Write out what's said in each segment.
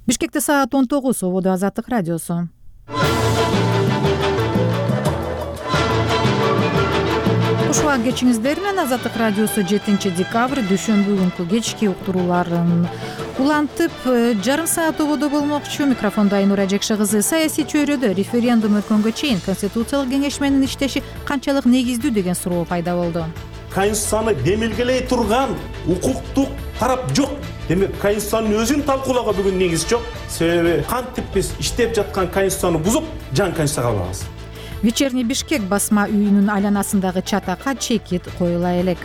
Бишкекте саат 19. Ободо Азаттык радиосу. Куш убак кечиңиздер менен Азаттык радиосу 7 декабрь дүйшөмбү күнкү кечки уктурууларын улантып жарым саат ободо болмокчу. Микрофондо Айнура Жекше кызы. Саясий чөйрөдө референдум өткөнгө чейин Конституциялык кеңеш менен иштеши канчалык негиздүү деген суроо пайда болду. Конституцияны демилгелей турган укуктук тарап жок. Демек Конституциянын өзүн талкуулоого бүгүн негиз жок. Себеби кантип биз иштеп жаткан Конституцияны бузуп, жаңы Конституция кабыл алабыз. Вечерний Бишкек басма үйүнүн айланасындагы чатакка чекит коюла элек.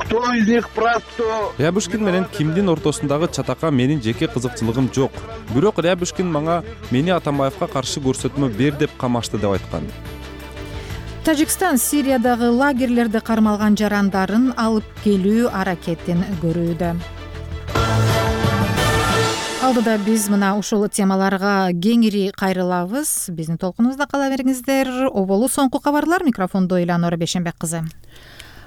Кто из них прав, кто... Рябушкин менен Кимдин ортосундагы чатакка менин жеке кызыкчылыгым жок. Бирок Рябушкин мага мени Атамбаевка каршы көрсөтмө бер деп камашты деп айткан. Тажикстан Сириядагы лагерлерде кармалган жарандарын алып келүү аракетин көрүүдө. Алдыда биз мына ушул темаларга кеңири кайрылабыз. Биздин толкунубузда кала бериңиздер. Оболу соңку кабарлар. Микрофондо Эланора Бешенбек кызы.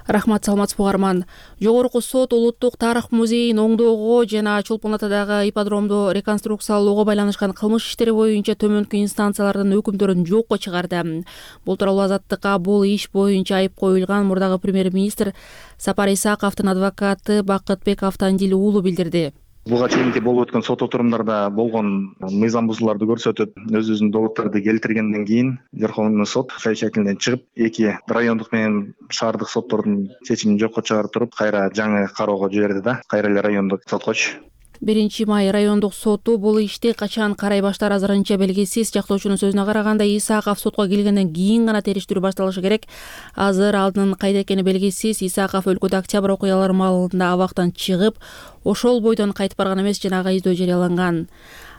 Рахмат, саламатсызбы угарман. Жогорку сот Улуттук тарых музейин оңдоого жана Чолпон Атадагы ипподромду реконструкциялоого байланышкан кылмыш иштери боюнча төмөнкү инстанциялардын өкүмдөрүн жокко чыгарды. Бул тууралуу Азаттыкка бул иш боюнча айып коюлган мурдагы премьер-министр Сапар Исаковдун адвокаты Бакытбек Автандил уулу билдирди. Буга чейинки болуп өткөн сот отурумдарда болгон мыйзам бузууларды көрсөтүп, өзүнүн доводдорду келтиргенден кийин Верховный сот кай шекилден чыгып, эки райондук менен шаардык соттордун чечимин жокко чыгарып туруп, кайра жаңы кароого жиберди да, кайра эле райондук соткочу. 1 май райондук соту бул ишти качан карай баштар азырынча белгисиз. Жактоочунун сөзүнө караганда, Исаков сотко келгенден кийин гана териштирүү башталышы керек. Азыр алдын кайда экени белгисиз. Исаков өлкөдө октябрь окуялары маалында абактан чыгып, ошол бойдон кайтып барган эмес, жана ага издөө жарыяланган.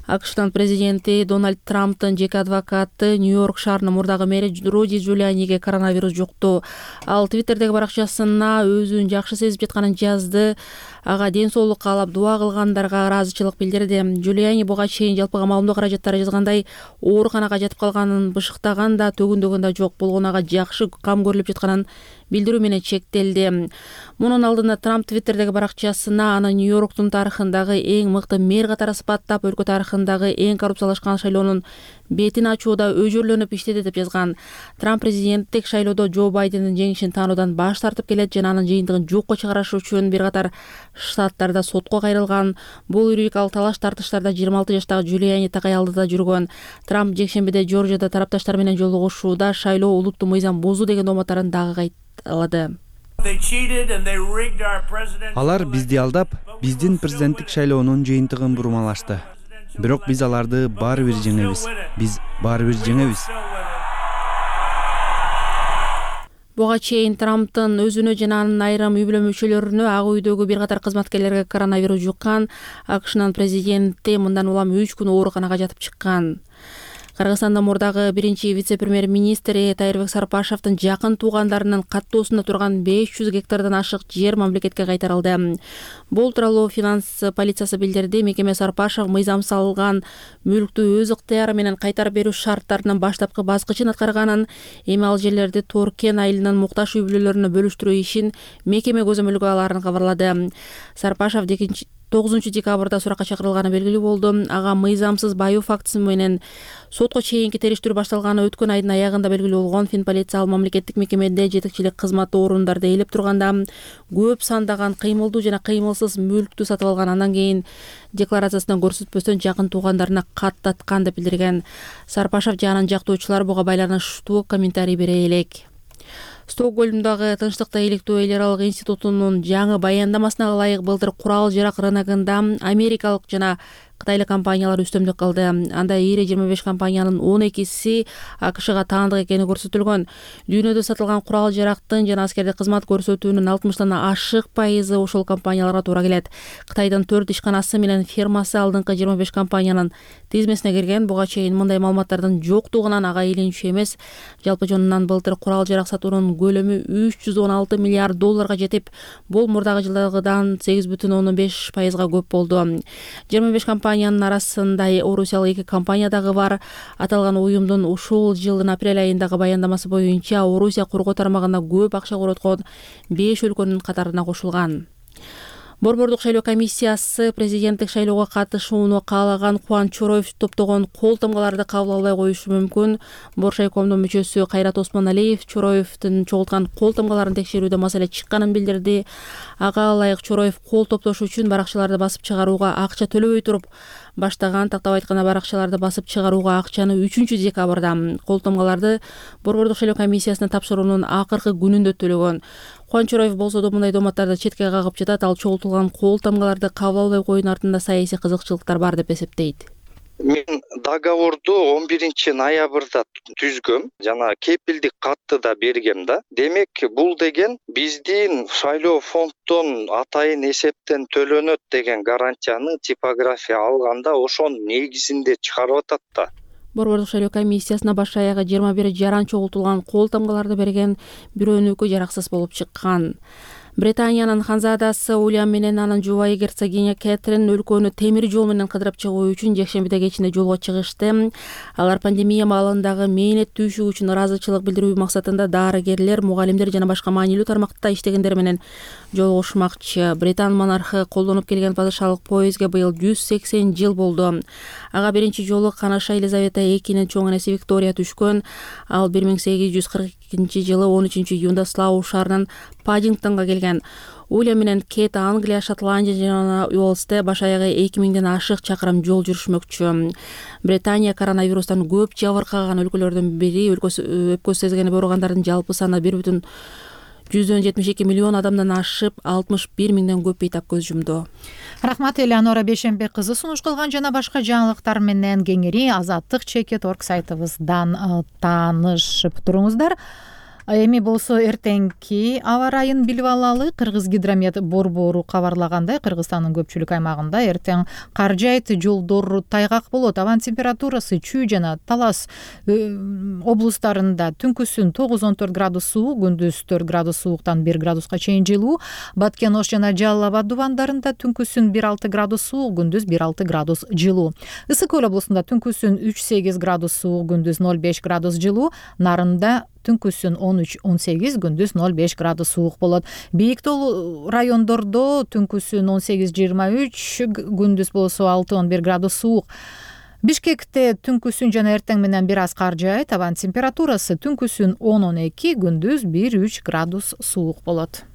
АКШтын президенти Дональд Трамптын жеке адвокаты Нью-Йорк шаарынын мурдагы мэри Руди Джулианиге коронавирус жукту. Ал Твиттердеги баракчасына өзүн жакшы сезип жатканын жазды. Ага ден соолук каалап дуа кылгандарга ыраазычылык билдирди. Джулиани буга чейин жалпыга маалымдоо каражаттары жазгандай, ооруканага жатып калганын бышыктаган да, төгүндөгөн да жок. Болгону ага жакшы кам көрүлүп жатканын билдирүү менен чектелди. Мунун алдында Трамп Твиттердеги баракчасына аны Нью-Йорктун тарыхындагы эң мыкты мэр катары сыпаттап, өлкө тарыхындагы эң коррупциялашкан шайлоонун бетин ачууда өжөрлөнүп иштеди деп жазган. Трамп президенттик шайлоодо Джо Байдендин жеңишин таануудан баш тартып келет жана анын жыйынтыгын жокко чыгарыш үчүн бир катар штаттарда сотко кайрылган. Бул юридикалык талаш тартыштарда 26 жаштагы Джулиани такай алдыда жүргөн. Трамп жекшембиде Жоржияда тарапташтар менен жолугушууда шайлоо улуттуу мыйзам бузуу деген дооматтарын дагы кайталады. Алар бизди алдап, биздин президенттик шайлоонун жыйынтыгын бурмалашты. Бирок биз аларды баары бир жеңебиз. Биз баары бир жеңебиз. Буга чейин Трамптын өзүнө жана анын айрым үй бүлө мүчөлөрүнө, ак үйдөгү бир катар кызматкерлерге коронавирус жуккан. АКШнын президенти мындан улам 3 күн ооруканага жатып чыккан. Кыргызстандын мурдагы биринчи вице-премьер-министри Тайырбек Сарпашевдин жакын туугандарынын каттоосунда турган 500 гектардан ашык жер мамлекетке кайтарылды. Бул тууралуу финанс полициясы билдирди. Мекеме Сарпашев мыйзам салган мүлктү өз ыктыяры менен кайтарып берүү шарттарынын баштапкы баскычын аткарганын, эми ал жерлерди Торкен айылынын муктаж үй бүлөлөрүнө бөлүштүрүү ишин мекеме көзөмөлгө аларын кабарлады. Сарпашев 9 декабрда суракка чакырылганы белгилүү болду. Ага мыйзамсыз баюу фактысы менен сотко чейинки териштирүү башталганы өткөн айдын аягында белгилүү болгон. Финполиция ал мамлекеттик мекемеде жетекчилик кызматы орундарда ээлеп турганда көп сандаган кыймылдуу жана кыймылсыз мүлктү сатып алган. Андан кийин декларациясынан көрсөтпөстөн жакын туугандарына каттаткан деп билдирген. Сарпашев жанын жактоочулар буга байланыштуу комментарий бере элек. Стокгольмдагы Тынчтыкта иликтөө эл аралык институтунун жаңы баяндамасына ылайык былтыр курал-жарак рыногунда америкалык жана кытайлык компаниялар үстөмдүк кылды. Анда ири 25 компаниянын 12си АКШга таандык экени көрсөтүлгөн. Дүйнөдө сатылган курал-жарактын жана аскердик кызмат көрсөтүүнүн 60 ашык пайызы ошол компанияларга туура келет. Кытайдын 4 ишканасы менен фермасы алдыңкы 25 компаниянын тизмесине кирген. Буга чейин мындай маалыматтардын жоктугунан ага илинчүү эмес. Жалпы жонунан былтыр курал-жарак сатуунун көлөмү 316 миллиард долларга жетип, бул мурдагы жылдагыдан 8,5% көп болду. 25 компаниянын арасында орусиялык 2 компания дагы бар. Аталган уюмдун ушул жылдын апрель айындагы баяндамасы боюнча Орусия коргоо тармагында көп акча короткон 5 өлкөнүн катарына кошулган. Борбордук шайлоо комиссиясы президенттик шайлоого катышууну каалаган Кубаныч Чороев топтогон кол тамгаларды кабыл албай коюшу мүмкүн. Боршайкомдун мүчөсү Кайрат Осмоналиев Чороевдин чогулткан кол тамгаларын текшерүүдө маселе чыкканын билдирди. Ага ылайык Чороев кол топтош үчүн баракчаларды басып чыгарууга акча төлөбөй туруп баштаган. Тактап айтканда баракчаларды басып чыгарууга акчаны 3 декабрда кол тамгаларды Борбордук шайлоо комиссиясына тапшыруунун акыркы күнүндө төлөгөн. Кубаныч Чороев болсо да мындай доматтарды четке кагып жатат. Ал чогултулган кол тамгаларды кабыл албай коюунун артында саясий кызыкчылыктар бар деп эсептейт. Мен договорду 11-ноябрда түзгөм, жана кепилдик катты да бергем да. Демек, бул деген биздин шайлоо фонддон атайын эсептен төлөнөт деген гарантияны типография алганда ошонун негизинде чыгарып атат да. Борбордук шайлоо комиссиясына баш аягы 21 жаран чогултулган кол тамгаларды берген бирөөнүкү жараксыз болуп чыккан. Британиянын ханзадасы Уильям менен анын жубайы герцогиня Кэтрин өлкөнү темир жол менен кыдырып чыгуу үчүн жекшембиде кечинде жолго чыгышты. Алар пандемия маалындагы мээнет түйшүк үчүн ыраазычылык билдирүү максатында дарыгерлер, мугалимдер жана башка маанилүү тармакта иштегендер менен жолугушмакчы. Британ монархы колдонуп келген падышалык поездге быйыл 180 жыл болду. Ага биринчи жолу канаша Елизавета II чоң энеси Виктория түшкөн. Ал 1842-жылы 13-июнда Слоу шаарынан Паддингтонго келген. Уильям менен Кейт Англия, Шотландия жана Уэльсте баш аягы 2000ден ашык чакырым жол жүрүшмөкчү. Британия коронавирустан көп жабыркаган өлкөлөрдүн бири. Өпкө сезгени ооругандардын жалпы саны 1,72 миллион адамдан ашып, 61 миңден көп бейтап көз жумду. Рахмат Элеонора Бейшембек кызы сунуш кылган жана башка жаңылыктар менен кеңири Азаттык.org сайтыбыздан таанышып туруңуздар. Эми болсо эртеңки аба ырайын билип алалы. Кыргыз гидромет борбору кабарлагандай, Кыргызстандын көпчүлүк аймагында эртең кар жайт, жолдор тайгак болот. Абан температурасы Чүй жана Талас облустарында түнкүсүн 9-14 градус суук, күндүз 4 градус сууктан 1 градуска чейин жылуу. Баткен, Ош жана Жалал Абад дубандарында түнкүсүн 1-6 градус суук, күндүз 1-6 градус жылуу. Ысык Көл облусунда түнкүсүн 3-8 градус суук, күндүз 0-5 градус жылуу. Нарында түнкүсүн 13-18, күндүз 0-5 градус суук болот. Бийик тоо райондордо түнкүсүн 18-23, күндүз болсо 6-11 градус суук. Бишкекте түнкүсүн жана эртең менен бир аз кар жаайт. Абан температурасы түнкүсүн 10-12, күндүз 1-3 градус суук болот.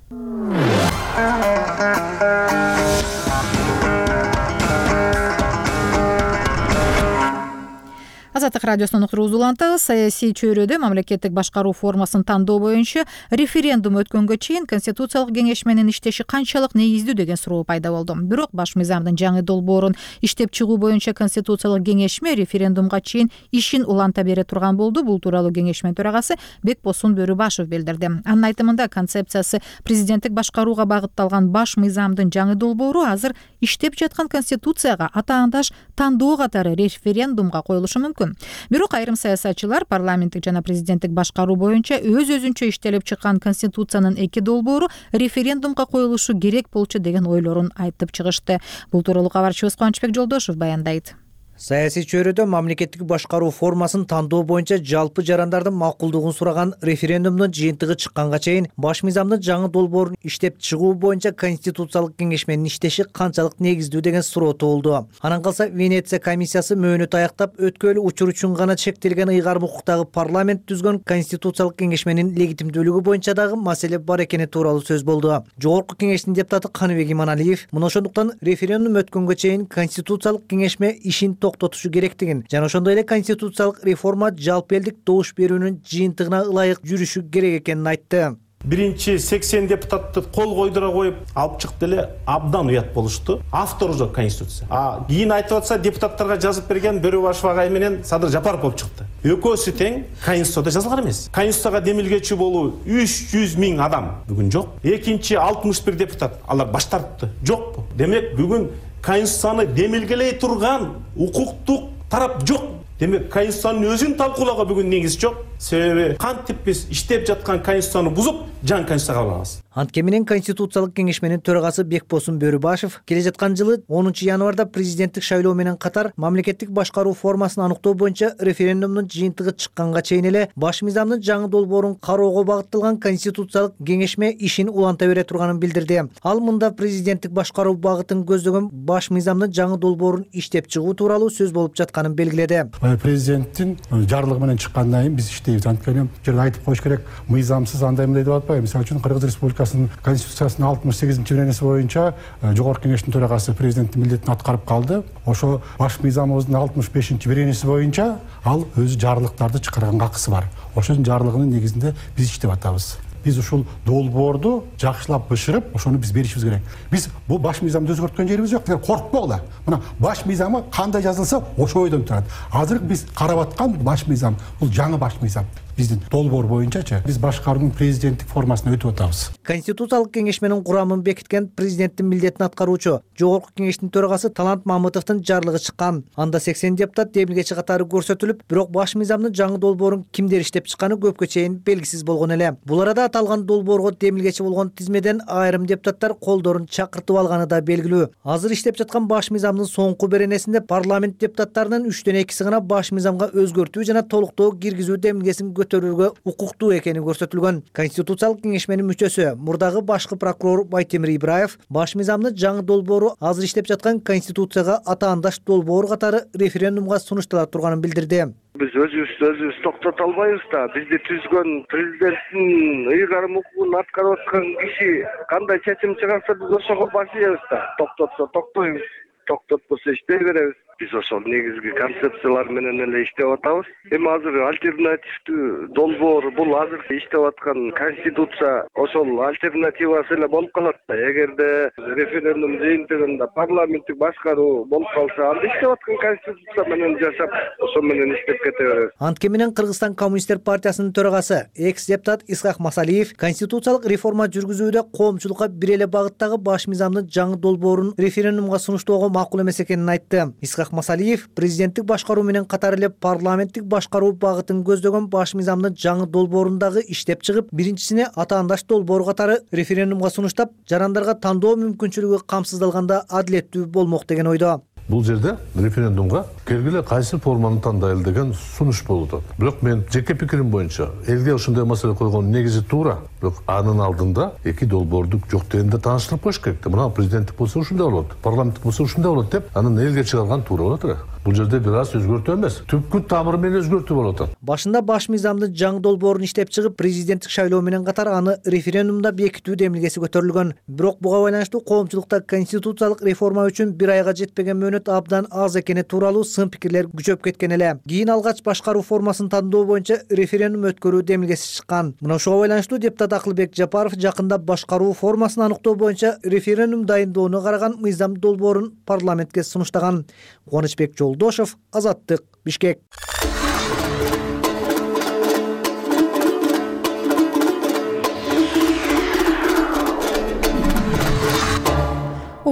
Азаттык радиосунун уктуруусу улантабыз. Саясий чөйрөдө мамлекеттик башкаруу формасын тандоо боюнча референдум өткөнгө чейин Конституциялык кеңеш менен иштеши канчалык негиздүү деген суроо пайда болду. Бирок баш мыйзамдын жаңы долбоорун иштеп чыгуу боюнча Конституциялык кеңешме референдумга чейин ишин уланта бере турган болду. Бул тууралуу кеңешме төрагасы Бекбосун Бөрүбашев билдирди. Анын айтымында концепциясы президенттик башкарууга багытталган баш мыйзамдын жаңы долбоору азыр иштеп жаткан Конституцияга атаандаш тандоо катары референдумга коюлушу мүмкүн. Бирок айрым саясатчылар парламенттик жана президенттик башкаруу боюнча өз-өзүнчө иштелип чыккан Конституциянын 2 долбоору референдумга коюлушу керек болчу деген ойлорун айтып чыгышты. Бул тууралуу кабарчыбыз Кубанычбек Жолдошев баяндайт. Саясий чөйрөдө мамлекеттик башкаруу формасын тандоо боюнча жалпы жарандардын макулдугун сураган референдумдун жыйынтыгы чыкканга чейин баш мыйзамдын жаңы долбоорун иштеп чыгуу боюнча Конституциялык кеңеш менен иштеши канчалык негиздүү деген суроо туулду. Анан калса Венеция комиссиясы мөөнөт аяктап өткөлүү учур үчүн гана чектелген ыйгарым укуктагы парламент түзгөн Конституциялык кеңеш менен легитимдүүлүгү боюнча дагы маселе бар экени тууралуу сөз болду. Жогорку кеңештин депутаты Каныбек Иманалиев мына ошондуктан референдум өткөнгө чейин Конституциялык кеңешме ишин токтотушу керектигин жана ошондой эле конституциялык реформа жалпы элдик добуш берүүнүн жыйынтыгына ылайык жүрүшү керек экенин айтты. Биринчи 80 депутатты кол койдура коюп алып чыкты эле, абдан уят болушту. Автор уже Конституция. Кийин айтып атса депутаттарга жазып берген Бөрүбашев агай менен Садыр Жапаров болуп чыкты. Экөөсү тең Конституцияда жазылган эмес. Конституцияга демилгечи болуу 300 миң адам бүгүн жок. Экинчи 61 депутат алар баш тартты. Жокпу? Демек бүгүн Конституцияны демилгелей турган укуктук тарап жок. Демек Конституциянын өзүн талкуулоого бүгүн негиз жок. Себеби кантип биз иштеп жаткан Конституцияны бузуп жаңы конституция кабыл алабыз. Антке менен Конституциялык кеңешменин төрагасы Бекбосун Бөрүбашев келе жаткан жылы 10 январда президенттик шайлоо менен катар мамлекеттик башкаруу формасын аныктоо боюнча референдумдун жыйынтыгы чыкканга чейин эле баш мыйзамдын жаңы долбоорун кароого багытталган Конституциялык кеңешме ишин уланта бере турганын билдирди. Ал мында президенттик башкаруу багытын көздөгөн баш мыйзамдын жаңы долбоорун иштеп чыгуу тууралуу сөз болуп жатканын белгиледи. Президенттин жарлыгы менен чыккандан кийин биз иштейбиз. Анткени жерде айтып коюш керек, мыйзамсыз андай мындай деп атпайбы. Мисалы үчүн Кыргыз Республикасынын Конституциясынын 68-беренеси боюнча Жогорку Кеңештин төрагасы президенттин милдетин аткарып калды. Ошо баш мыйзамыбыздын 65-беренеси боюнча ал өзү жарлыктарды чыгарганга акысы бар. Ошонун жарлыгынын негизинде биз иштеп атабыз. Биз ушул долбоорду жакшылап бышырып, ошону биз беришибиз керек. Биз бул баш мыйзамды өзгөрткөн жерибиз жок. Коркпогула. Мына баш мыйзамы кандай жазылса, ошо бойдон турат. Азыр биз карап аткан баш мыйзам бул жаңы баш мыйзам. Биздин долбоор боюнчачы биз башкаруунун президенттик формасына өтүп атабыз. Конституциялык кеңешменин курамын бекиткен президенттин милдетин аткаруучу Жогорку Кеңештин төрагасы Талант Мамытовдун жарлыгы чыккан. Анда 80 депутат демилгечи катары көрсөтүлүп, бирок баш мыйзамдын жаңы долбоорун кимдер иштеп чыкканы көпкө чейин белгисиз болгон эле. Бул арада аталган долбоорго демилгечи болгон тизмеден айрым депутаттар колдорун чакыртып алганы да белгилүү. Азыр иштеп жаткан баш мыйзамдын соңку беренесинде парламент депутаттарынын 3төн 2си гана баш мыйзамга өзгөртүү жана толуктоо киргизүү демилгесин көтөрүүгө укуктуу экени көрсөтүлгөн. Конституциялык кеңешменин мүчөсү, мурдагы башкы прокурор Байтемир Ибраев баш мыйзамдын жаңы долбоору азыр иштеп жаткан Конституцияга атаандаш долбоор катары референдумга сунуштала турганын билдирди. Биз өзүбүз токтото албайбыз да. Бизди түзгөн президенттин ыйгарым укугун аткарып аткан киши кандай чечим чыгарса биз ошого баш ийебиз да. Токтотсо токтойбуз, токтотпосо иштей беребиз. Биз ошол негизги концепциялар менен эле иштеп атабыз. Эми азыр альтернативдүү долбоор бул азыркы иштеп аткан конституция ошол альтернативасы эле болуп калат да. Эгерде референдум жыйынтыгында парламенттик башкаруу болуп калса, анда иштеп аткан конституция менен жашап, ошол менен иштеп кете беребиз. Антке менен Кыргызстан Коммунисттер партиясынын төрагасы, экс-депутат Исхак Масалиев конституциялык реформа жүргүзүүдө коомчулукка бир эле багыттагы баш мыйзамдын жаңы долбоорун референдумга сунуштоого макул эмес экенин айтты. Исхак Масалиев президенттик башкаруу менен катар эле парламенттик башкаруу багытын көздөгөн баш мыйзамдын жаңы долбоорундагы иштеп чыгып, биринчисине атаандаш долбоор катары референдумга сунуштап, жарандарга тандоо мүмкүнчүлүгү камсыздалганда адилеттүү болмок деген ойдо. Бул жерде референдумга келгиле кайсы форманы тандайлы деген сунуш болуп атат. Бирок мен жеке пикирим боюнча элге ушундай маселе койгон негизи туура. Бирок анын алдында эки долбоорду жок дегенде тааныштырып коюш керек. Мына президенттик болсо ушундай болот, парламенттик болсо ушундай болот деп анын элге чыгарган туура болот эле. Бул жерде бир аз өзгөртүү эмес, түпкү тамыры менен өзгөртүү болуп атат. Башында баш мыйзамдын жаңы долбоорун иштеп чыгып, президенттик шайлоо менен катар аны референдумда бекитүү демилгеси көтөрүлгөн. Бирок буга байланыштуу коомчулукта конституциялык реформа үчүн бир айга жетпеген мөөнөт абдан аз экени тууралуу сын пикирлер күчөп кеткен эле. Кийин алгач башкаруу формасын тандоо боюнча референдум өткөрүү демилгеси чыккан. Мына ошого байланыштуу депутат Акылбек Жапаров жакында башкаруу формасын аныктоо боюнча референдум дайындоону караган мыйзам долбоорун парламентке сунуштаган. Кубанычбек Жолдошов, Азаттык, Бишкек.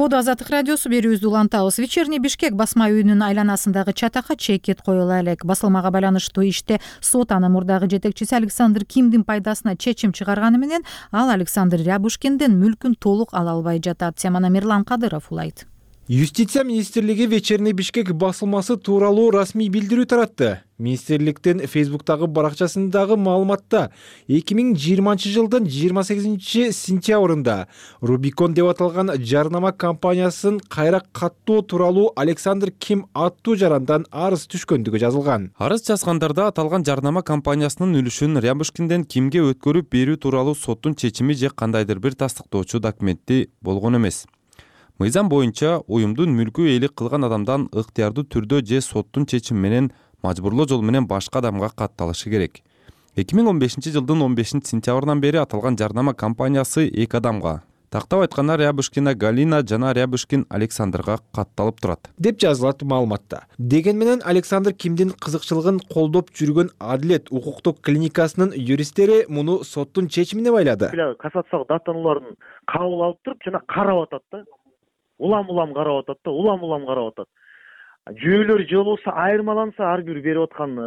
Азаттык радиосу берүүбүздү улантабыз. Вечерний Бишкек басма үйүнүн айланасындагы чатакка чекит коюла элек. Басылмага байланыштуу иште сот анын мурдагы жетекчиси Александр Кимдин пайдасына чечим чыгарганы менен ал Александр Рябушкиндин мүлкүн толук ала албай жатат. Теманы Мирлан Кадыров улайт. Юстиция министрлиги Вечерний Бишкек басылмасы тууралуу расмий билдирүү таратты. Министрликтин Фейсбуктагы баракчасындагы маалыматта 2020 жылдын 28 сентябрында Рубикон деп аталган жарнама компаниясын кайра каттоо тууралуу Александр Ким аттуу жарандан арыз түшкөндүгү жазылган. Арыз жазгандарда аталган жарнама компаниясынын үлүшүн Рябушкинден Кимге өткөрүп берүү тууралуу соттун чечими же кандайдыр бир тастыктоочу документи болгон эмес. Мыйзам боюнча уюмдун мүлкү ээлик кылган адамдан ыктыярдуу түрдө же соттун чечими менен мажбурлоо жол менен башка адамга катталышы керек. 2015 жылдын 15 сентябрынан бери аталган жарнама компаниясы эки адамга, тактап айтканда Рябушкина Галина жана Рябушкин Александрга катталып турат деп жазылат маалыматта. Деген менен Александр Кимдин кызыкчылыгын колдоп жүргөн Адилет укуктук клиникасынын юристтери муну соттун чечимине байлады. Кассациялык даттанууларын кабыл алып туруп жана карап атат да. Улам карап атат да, улам карап атат. жүйөлөр же болбосо айырмаланса ар бир берип аткан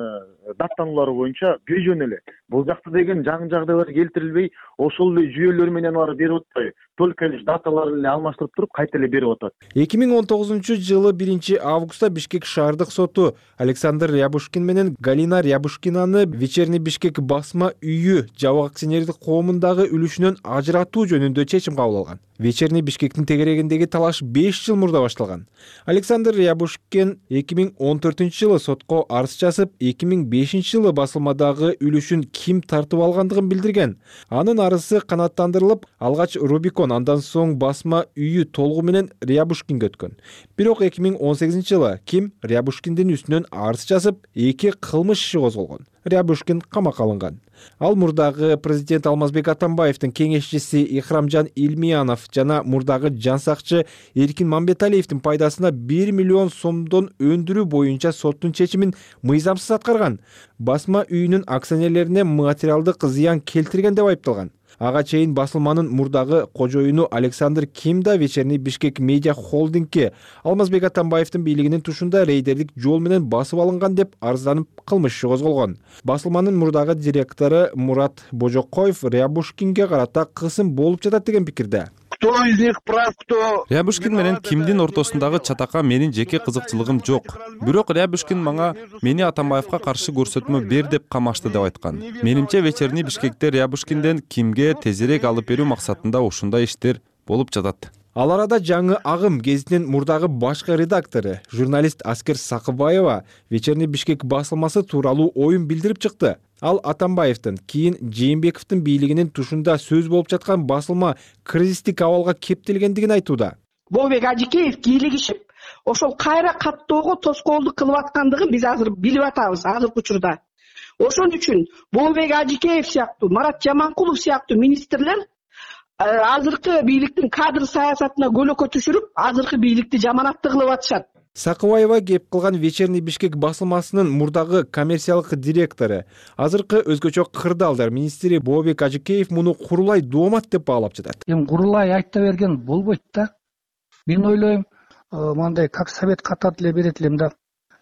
даттануулар боюнча бейжөн эле бул жакта деген жаңы жагдайлар келтирилбей, ошол эле жүйөлөр менен алар берип атпай, только лишь даталарын эле алмаштырып туруп кайта эле берип атат. 2019-жылы 1-августта Бишкек шаардык соту Александр Рябушкин менен Галина Рябушкинаны Вечерний Бишкек басма үйү жабык акционердик коомундагы үлүшүнөн ажыратуу жөнүндө чечим кабыл алган. Вечерний Бишкектин тегерегиндеги талаш 5 жыл мурда башталган. Александр Рябушкин 2014-жылы сотко арыз жазып, 2005-жылы басылмадагы үлүшүн ким тартып алгандыгын билдирген. Анын арызы канааттандырылып, алгач Рубикон, андан соң басма үйү толугу менен Рябушкинге өткөн. Бирок 2018-жылы Ким Рябушкиндин үстүнөн арыз жазып, 2 кылмыш иши козголгон. Рябушкин камакка алынган. Ал мурдагы президент Алмазбек Атамбаевдин кеңешчиси Ихрамжан Илмиянов жана мурдагы жансакчы Эркин Мамбеталиевдин пайдасына 1 миллион сомдон өндүрүү боюнча соттун чечимин мыйзамсыз аткарган. Басма үйүнүн акционерлерине материалдык зыян келтирген деп айыпталган. Ага чейин басылманын мурдагы кожоюну Александр Ким да Вечерний Бишкек медиа холдингке Алмазбек Атамбаевдин бийлигинин тушунда рейдердик жол менен басып алынган деп арызданып кылмыш иши козголгон. Басылманын мурдагы директору Мурат Божокоев Рябушкинге карата кысым болуп жатат деген пикирде. Кто из них прав, кто... Рябушкин менен Кимдин ортосундагы чатакка менин жеке кызыкчылыгым жок. Бирок Рябушкин мага мени Атамбаевка каршы көрсөтмө бер деп камашты деп айткан. Менимче Вечерний Бишкекте Рябушкинден Кимге тезирээк алып берүү максатында ушундай иштер болуп жатат. Ал арада жаңы агым гезитинин мурдагы башкы редактору, журналист Аскер Сакыбаева Вечерний Бишкек басылмасы тууралуу оюн билдирип чыкты. Ал Атамбаевдин кийин Жээнбековдун бийлигинин тушунда сөз болуп жаткан басылма кризистик абалга кептелгендигин айтууда. Болбек Ажикеев кийлигишип, ошол кайра каттоого тоскоолдук кылып аткандыгын биз азыр билип атабыз азыркы учурда. Ошон үчүн Болбек Ажикеев сыяктуу, Марат Жаманкулов сыяктуу министрлер азыркы бийликтин кадр саясатына көлөкө түшүрүп, азыркы бийликти жаманатты кылып атышат. Сакыбаева кеп кылган Вечерний Бишкек басылмасынын мурдагы коммерциялык директору, азыркы өзгөчө кырдаалдар министри Болбек Ажикеев муну курулай доомат деп баалап жатат. Курулай айта берген болбойт да. Мен ойлойм, мындай как совет катат эле берет элем да.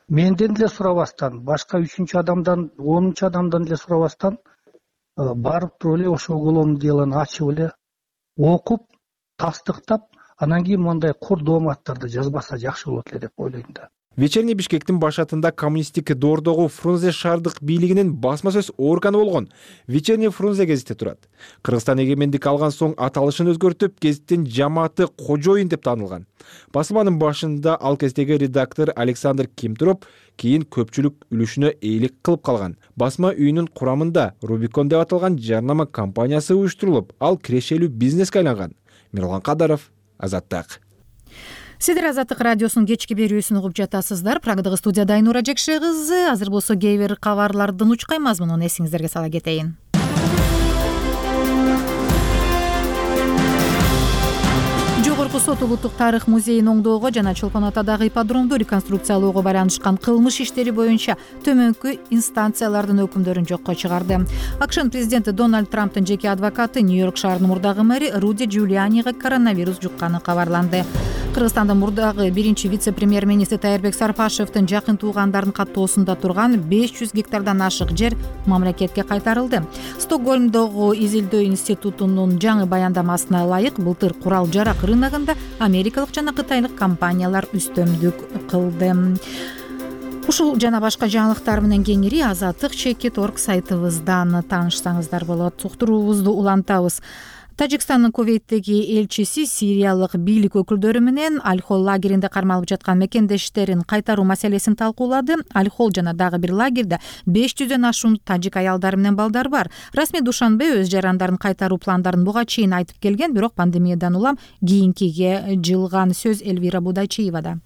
Менден деле сурабастан, башка 3-чү адамдан, 10-чу адамдан деле сурабастан барып туруп эле ошол уголовный делону ачып эле окуп, тастыктап, анан кийин мындай кур дооматтарды жазбаса жакшы болот эле деп ойлойм да. Вечерний Бишкектин башатында коммунисттик доордогу Фрунзе шаардык бийлигинин басма сөз органы болгон. Вечерний Фрунзе гезитте турат. Кыргызстан эгемендик алган соң аталышын өзгөртүп, гезиттин жамааты кожоюн деп таанылган. Басылманын башында ал кездеги редактор Александр Ким туруп, кийин көпчүлүк үлүшүнө ээлик кылып калган. Басма үйүнүн курамында Рубикон деп аталган жарнама компаниясы уюштурулуп, ал кирешелүү бизнеске айланган. Мирлан Кадаров, Азаттык. Сиздер Азаттык радиосунун кечки берүүсүн угуп жатасыздар. Прагдагы студияда Айнура Жекше кызы. Азыр болсо кээ бир кабарлардын учкай мазмунун эсиңиздерге сала кетейин. Жогорку сот Улуттук тарых музейин оңдоого жана Чолпон Атадагы ипподромду реконструкциялоого байланышкан кылмыш иштери боюнча төмөнкү инстанциялардын өкүмдөрүн жокко чыгарды. АКШнын президенти Дональд Трамптын жеке адвокаты Нью-Йорк шаарынын мурдагы мэри Руди Джулианига коронавирус жукканы кабарланды. Кыргызстандын мурдагы биринчи вице-премьер-министри Тайырбек Сарпашевдин жакын туугандарынын каттоосунда турган 500 гектардан ашык жер мамлекетке кайтарылды. Стокгольмдогу изилдөө институтунун жаңы баяндамасына ылайык былтыр курал-жарак рыногунда америкалык жана кытайлык компаниялар үстөмдүк кылды. Ушул жана башка жаңылыктар менен кеңири azattik.org сайтыбыздан таанышсаңыздар болот. Уктуруубузду улантабыз. Тажикстандын Кувейттеги элчиси сириялык бийлик өкүлдөрү менен Аль-Хол лагеринде кармалып жаткан мекендештерин кайтаруу маселесин талкуулады. Аль-Хол жана дагы бир лагерде 500дөн ашуун тажик аялдары менен балдар бар. Расмий Душанбе өз жарандарын кайтаруу пландарын буга чейин айтып келген, бирок пандемиядан улам кийинкиге жылган. Сөз Элвира Будайчиевада.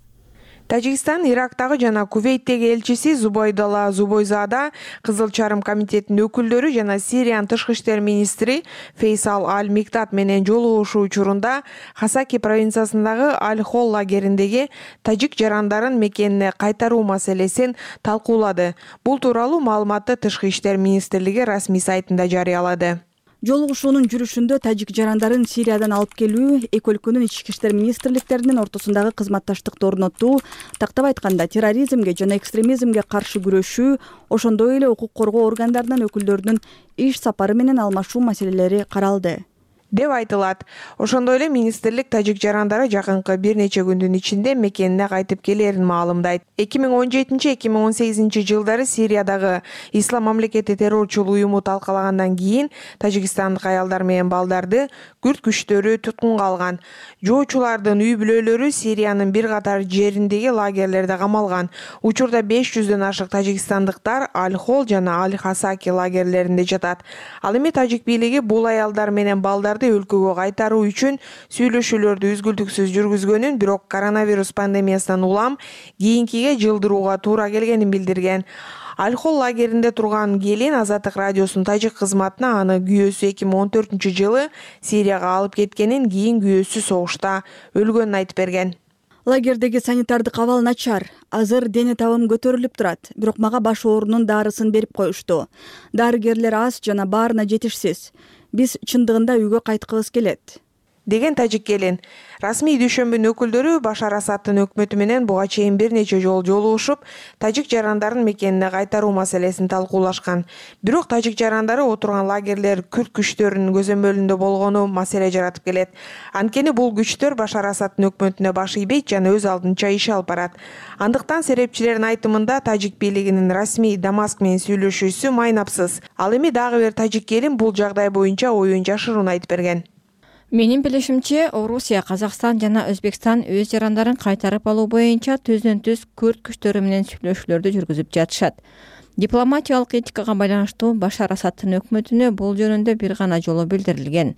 Тажикстан Ирактагы жана Кувейттеги элчиси Зубайдалла Зубойзада, Кызыл Чарым комитетинин өкүлдөрү жана Сириянын тышкы иштер министри Фейсал Аль-Миктат менен жолугушуу учурунда Хасаки провинциясындагы Аль-Хол лагериндеги тажик жарандарын мекенине кайтаруу маселесин талкуулады. Бул тууралуу маалыматты тышкы иштер министрлиги расмий сайтында жарыялады. Жолугушуунун жүрүшүндө тажик жарандарын Сириядан алып келүү, эки өлкөнүн ички иштер министрликтеринин ортосундагы кызматташтыкты орнотуу, тактап айтканда терроризмге жана экстремизмге каршы күрөшүү, ошондой эле укук коргоо органдарынын өкүлдөрүнүн иш сапары менен алмашуу маселелери каралды деп айтылат. Ошондой эле министрлик тажик жарандары жакынкы бир нече күндүн ичинде мекенине кайтып келерин маалымдайт. 2017-2018 жылдары Сириядагы Ислам мамлекети террорчул уюму талкалагандан кийин тажикстандык аялдар менен балдарды күрд күчтөрү туткунга алган. Жоочулардын үй бүлөлөрү Сириянын бир катар жериндеги лагерлерде камалган. Учурда 500дөн ашык тажикстандыктар Аль-Хол жана Аль-Хасаки лагерлеринде жатат. Ал эми тажик бийлиги бул аялдар менен балдарды өлкөгө кайтаруу үчүн сүйлөшүүлөрдү үзгүлтүксүз жүргүзгөнүн, бирок коронавирус пандемиясынан улам кийинкиге жылдырууга туура келгенин билдирген. Аль-Хол лагеринде турган келин Азаттык радиосунун тажик кызматына аны күйөөсү 2014-жылы Сирияга алып кеткенин, кийин күйөөсү согушта өлгөнүн айтып берген. Лагердеги санитардык абал начар. Азыр дене табым көтөрүлүп турат, бирок мага баш оорунун дарысын берип коюшту. Дарыгерлер аз жана баарына жетишсиз. Биз чындыгында үйгө кайткыбыз келет деген тажик келин. Расмий дүйшөмбүнүн өкүлдөрү Башар Асадтын өкмөтү менен буга чейин бир нече жолу жолугушуп, тажик жарандарын мекенине кайтаруу маселесин талкуулашкан. Бирок тажик жарандары отурган лагерлер күрд күчтөрүнүн көзөмөлүндө болгону маселе жаратып келет. Анткени бул күчтөр Башар Асадтын өкмөтүнө баш ийбейт жана өз алдынча иш алып барат. Андыктан серепчилердин айтымында тажик бийлигинин расмий Дамаск менен сүйлөшүүсү майнапсыз. Ал эми дагы бир тажик келин бул жагдай боюнча оюн жашыруун айтып берген. Менин билишимче, Орусия, Казакстан жана Өзбекстан өз жарандарын кайтарып алуу боюнча түздөн-түз күрд күчтөрү менен сүйлөшүүлөрдү жүргүзүп жатышат. Дипломатиялык этикага байланыштуу Башар Асадтын өкмөтүнө бул жөнүндө бир гана жолу билдирилген.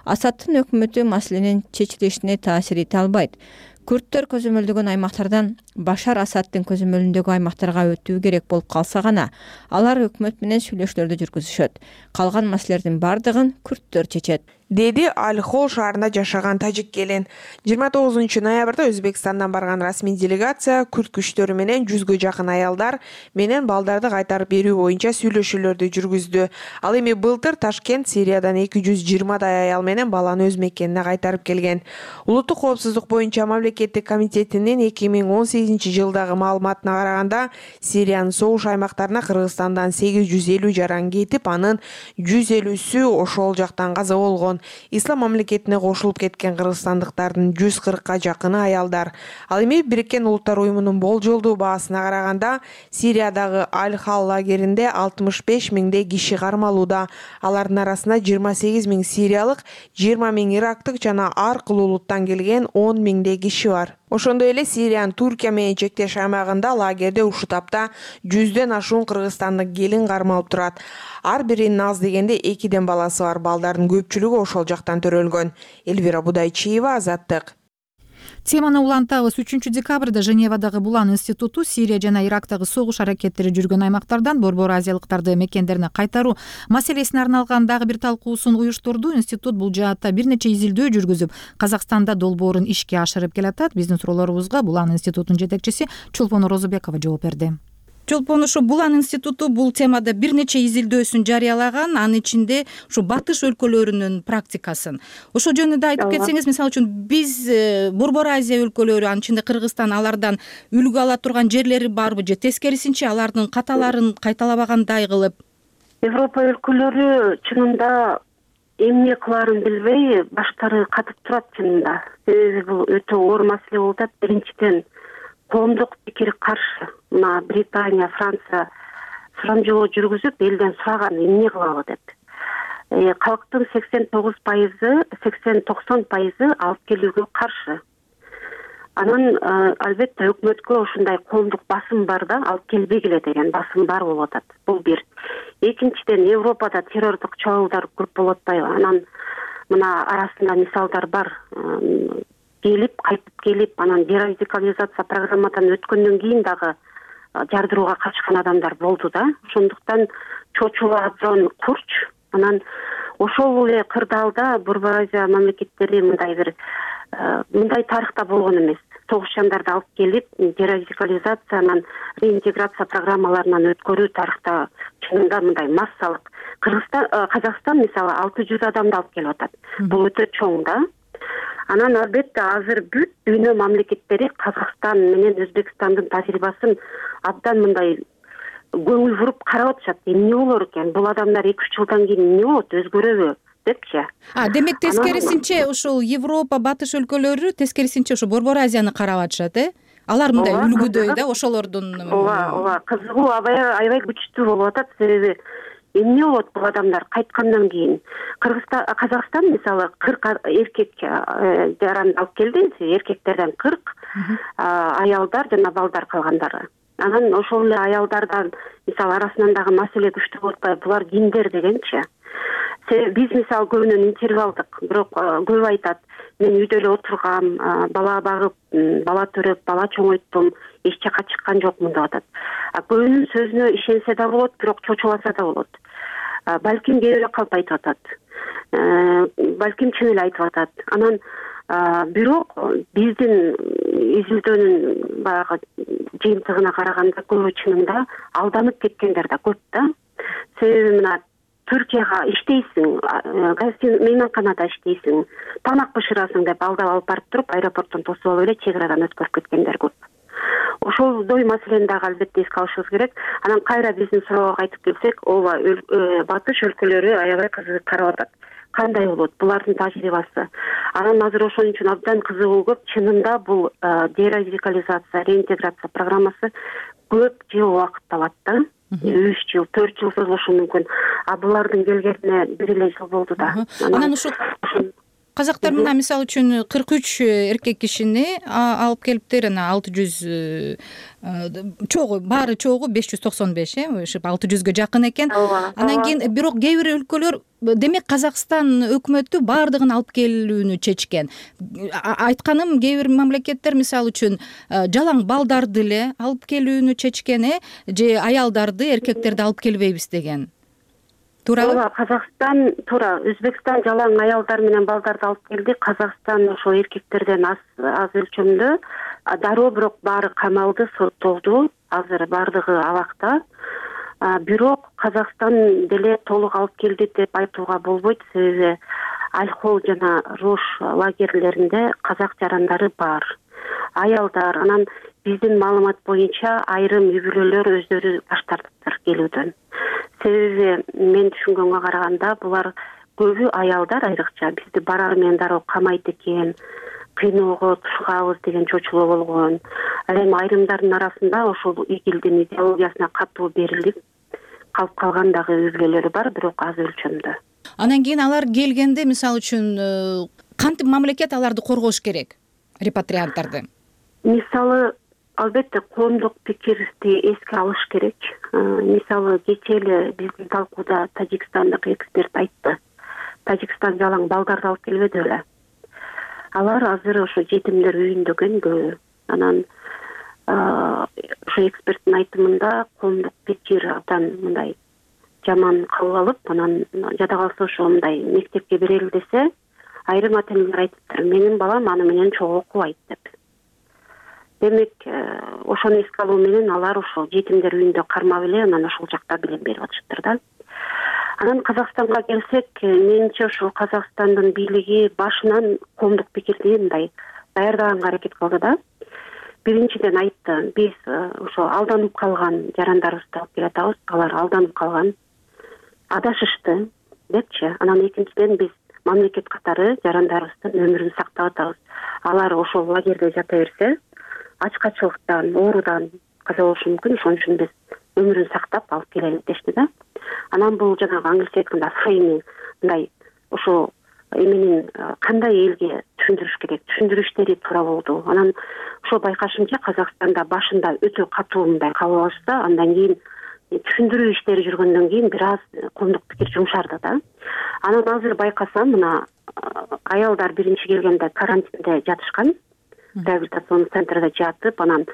Асадтын өкмөтү маселенин чечилишине таасир эте албайт. Күрдтөр көзөмөлдөгөн аймактардан Башар Асадтын көзөмөлүндөгү аймактарга өтүү керек болуп калса гана, алар өкмөт менен сүйлөшүүлөрдү жүргүзүшөт. Калган маселелердин бардыгын күрдтөр чечет, деди Аль-Хол шаарында жашаган тажик келин. 29 ноябрда Өзбекстандан барган расмий делегация күрд күчтөрү менен 100гө жакын аялдар менен балдарды кайтарып берүү боюнча сүйлөшүүлөрдү жүргүздү. Ал эми былтыр Ташкент Сириядан 220дай аял менен баланы өз мекенине кайтарып келген. Улуттук коопсуздук боюнча мамлекеттик комитетинин 2018 жылдагы маалыматына караганда, Сириянын согуш аймактарына Кыргызстандан 850 жаран кетип, анын 150сү ошол жактан каза болгон. Ислам мамлекетине кошулуп кеткен кыргызстандыктардын 140ка жакыны аялдар. Ал эми Бириккен Улуттар уюмунун болжолдуу баасына караганда, Сириядагы Аль-Хал лагеринде 65 миңдей киши кармалууда. Алардын арасында 28 миң сириялык, 20 миң ирактык жана ар кыл улуттан келген 10 миңдей киши бар. Ошондой эле Сириянын Туркия менен чектеш аймагында лагерде ушул тапта 100дөн ашуун кыргызстандык келин кармалып турат. Ар биринин аз дегенде 2ден баласы бар, балдардын көпчүлүгү ошол жактан төрөлгөн. Элвира Будайчиева, Азаттык. Теманы улантабыз. 3 декабрда Женевадагы Булан институту Сирия жана Ирактагы согуш аракеттери жүргөн аймактардан борбор азиялыктарды мекендерине кайтаруу маселесине арналган дагы бир талкуусун уюштурду. Институт бул жаатта бир нече изилдөө жүргүзүп, Казакстанда долбоорун ишке ашырып келатат. Биздин суроолорубузга Булан институтунун жетекчиси Чулпон Розубекова жооп берди. Чолпон, ушу Булан институту бул темада бир нече изилдөөсүн жарыялаган, анын ичинде ушу батыш өлкөлөрүнүн практикасын. Ошол жөнүндө айтып кетсеңиз, мисалы үчүн биз Борбор Азия өлкөлөрү, анын ичинде Кыргызстан алардан үлгү ала турган жерлери барбы же тескерисинче алардын каталарын кайталабагандай кылып? Европа өлкөлөрү чынында эмне кылаарын билбей баштары катып турат чынында. Себеби бул өтө оор маселе болуп атат. Биринчиден коомдук пикир каршы. Мына Британия, Франция сурамжылоо жүргүзүп, элден сураган эмне кылалы деп. Калктын 80-90% алып келүүгө каршы. Анан албетте өкмөткө ушундай коомдук басым бар да, алып келбегиле деген басым бар болуп атат. Бул бир. Экинчиден, Европада террордук чабуулдар көп болуп атпайбы? Анан мына арасында мисалдар бар. Кайтып келип, анан дерадикализация программадан өткөндөн кийин дагы жардырууга качкан адамдар болду да. Ошондуктан чочула абдан курч. Анан ошол эле кырдаалда Борбор Азия мамлекеттери мындай тарыхта болгон эмес. Согушчандарды алып келип, дерадикализация, анан реинтеграция программаларынан өткөрүү тарыхта чынында мындай массалык Казакстан мисалы 600 адамды алып келип атат. Бул өтө чоң да. Анан албетте азыр бүт дүйнө мамлекеттери Казакстан менен Өзбекстандын тажрыйбасын абдан мындай көңүл буруп карап атышат. Эмне болор экен? Бул адамдар 2-3 жылдан кийин эмне болот? Өзгөрөбү? Депчи. Демек тескерисинче ушул Европа, батыш өлкөлөрү тескерисинче ушу Борбор Азияны карап атышат, Алар мындай үлгүдөй да, ошолордун. Ооба, кызыгуу аябай күчтүү болуп атат. Себеби эмне болот бул адамдар кайткандан кийин? Казакстан мисалы 40 эркек жаранды алып келди, эркектерден 40, аялдар жана балдар калгандары. Анан ошол эле аялдардан мисалы арасынан дагы маселе күчтүү болуп атпайбы? Булар кимдер дегенчи. Биз мисалы көбүнөн интервью алдык, бирок көп айтат, мен үйдө эле отургам, бала багып, бала төрөп, бала чоңойттум, эч жака чыккан жокмун деп атат. Көбүнүн сөзүнө ишенсе да болот, бирок чочуласа да болот. Балким кээ бирөө калп айтып атат. Балким чын эле айтып атат. Анан бирок биздин изилдөөнүн баягы жыйынтыгына караганда көбү чынында алданып кеткендер да көп да. Себеби мына Түркияга иштейсиң, мейманканада иштейсиң, тамак бышырасың деп алдап алып барып туруп, аэропорттон тосуп алып эле чек арадан өткөрүп кеткендер көп. Ошолдой маселени дагы албетте эске алышыбыз керек. Анан кайра биздин суроого кайтып келсек, ооба, батыш өлкөлөрү аябай кызыгып карап атат. Кандай болот булардын тажрыйбасы? Анан азыр ошон үчүн абдан кызыгуу көп. Чынында бул дерадикализация, реинтеграция программасы көп жыл убакыт алат да. 3 жыл, 4 жыл созулушу мүмкүн. Булардын келгенине 1 эле жыл болду да. Анан ушул казактар мына мисалы үчүн 43 эркек кишини алып келиптир, анан 600 чогуу, баары чогуу 595, ошо 600гө жакын экен. Анан кийин бирок кээ бир өлкөлөр, демек Казакстан өкмөтү баардыгын алып келүүнү чечкен. Айтканым, кээ бир мамлекеттер мисалы үчүн жалаң балдарды эле алып келүүнү чечкен, же аялдарды, эркектерди алып келбейбиз деген. Туурабы? Ооба, Казакстан туура, Өзбекстан жалаң аялдар менен балдарды алып келди. Казакстан ошо эркектерден аз өлчөмдө. Дароо бирок баары камалды, соттолду. Азыр баардыгы абакта. Бирок Казакстан деле толук алып келди деп айтууга болбойт, себеби Альхол жана Рош лагерлеринде казак жарандары бар. Аялдар, анан биздин маалымат боюнча айрым үй-бүлөлөр өздөрү баш тартыптыр келүүдөн. Себеби мен түшүнгөнгө караганда булар көбү аялдар, айрыкча бизди барар менен дароо камайт экен, кыйноого тушкабыз деген чочулоо болгон. Ал эми айрымдардын арасында ошол игилдин идеологиясына катуу берилип калып калган дагы үй-бүлөлөр бар, бирок аз өлчөмдө. Анан кийин алар келгенде мисалы үчүн кантип мамлекет аларды коргош керек, репатрианттарды? Мисалы албетте коомдук пикирди эске алыш керек. Мисалы кечээ эле биздин талкууда тажикстандык эксперт айтты. Тажикстан жалаң балдарды алып келбеди беле. Алар азыр ошо жетимдер үйүндө көйгөн. Анан ошо эксперттин айтымында коомдук пикир абдан мындай жаман кабыл алып, анан жада калса ошо мындай мектепке берели десе, айрым ата-энелер айтыптыр, менин балам аны менен чогуу окубайт деп. Демек, ошону эске алуу менен алар ошол жетимдер үйүндө кармап эле, анан ошол жакта билим берип атышыптыр да. Анан Казакстанга келсек, менимче ошол Казакстандын бийлиги башынан коомдук пикирди мындай даярдаганга аракет кылды да. Биринчиден айтты, биз ошо алданып калган жарандарыбызды алып келатабыз, алар алданып калган, адашышты депчи. Анан экинчиден биз мамлекет катары жарандарыбыздын өмүрүн сактап атабыз. Алар ошол лагерде жата берсе, ачкачылыктан, оорудан каза болушу мүмкүн, ошон үчүн биз өмүрүн сактап алып келели дешти да. Анан бул жанагы англисче айтканда фрейминг, мындай ошо эменин кандай элге түшүндүрүш керек, түшүндүрүштери туура болду. Анан ошо байкашымча Казакстанда башында өтө катуу мындай кабыл алышса, андан кийин түшүндүрүү иштери жүргөндөн кийин бир аз коомдук пикир жумшарды да. Анан азыр байкасам, мына аялдар биринчи келгенде карантинде жатышкан, реабилитацион центрде жатып, анан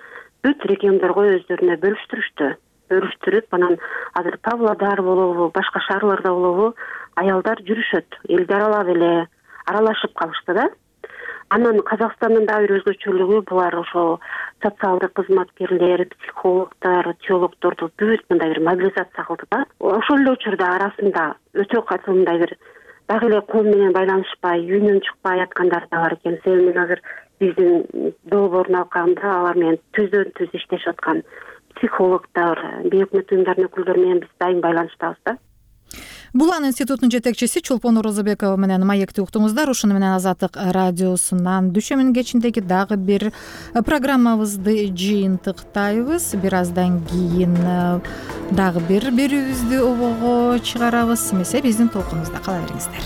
бүт региондорго өздөрүнө бөлүштүрүп, анан азыр Павлодар болобу, башка шаарларда болобу, аялдар жүрүшөт, элди аралап эле аралашып калышты да. Анан Казакстандын дагы бир өзгөчөлүгү булар ошо социалдык кызматкерлер, психологдор, теологдорду бүт мындай бир мобилизация кылды да. Ошол эле учурда арасында өтө катуу мындай бир дагы эле ком менен байланышпай, үйүнөн чыкпай аткандар да бар экен. Себеби мен азыр биздин долбоордун алкагында алар менен түздөн түз иштешип аткан психологдор, бейөкмөт уюмдардын өкүлдөрү менен биз дайым байланыштабыз да. Булан институтунун жетекчиси Чолпон Оразабекова менен маекти уктуңуздар. Ушуну менен Азаттык радиосунан дүйшөмбүнүн кечиндеги дагы бир программабызды жыйынтыктайбыз. Бир аздан кийин дагы бир берүүбүздү обого чыгарабыз. Эмесе биздин толкунубузда кала бериңиздер.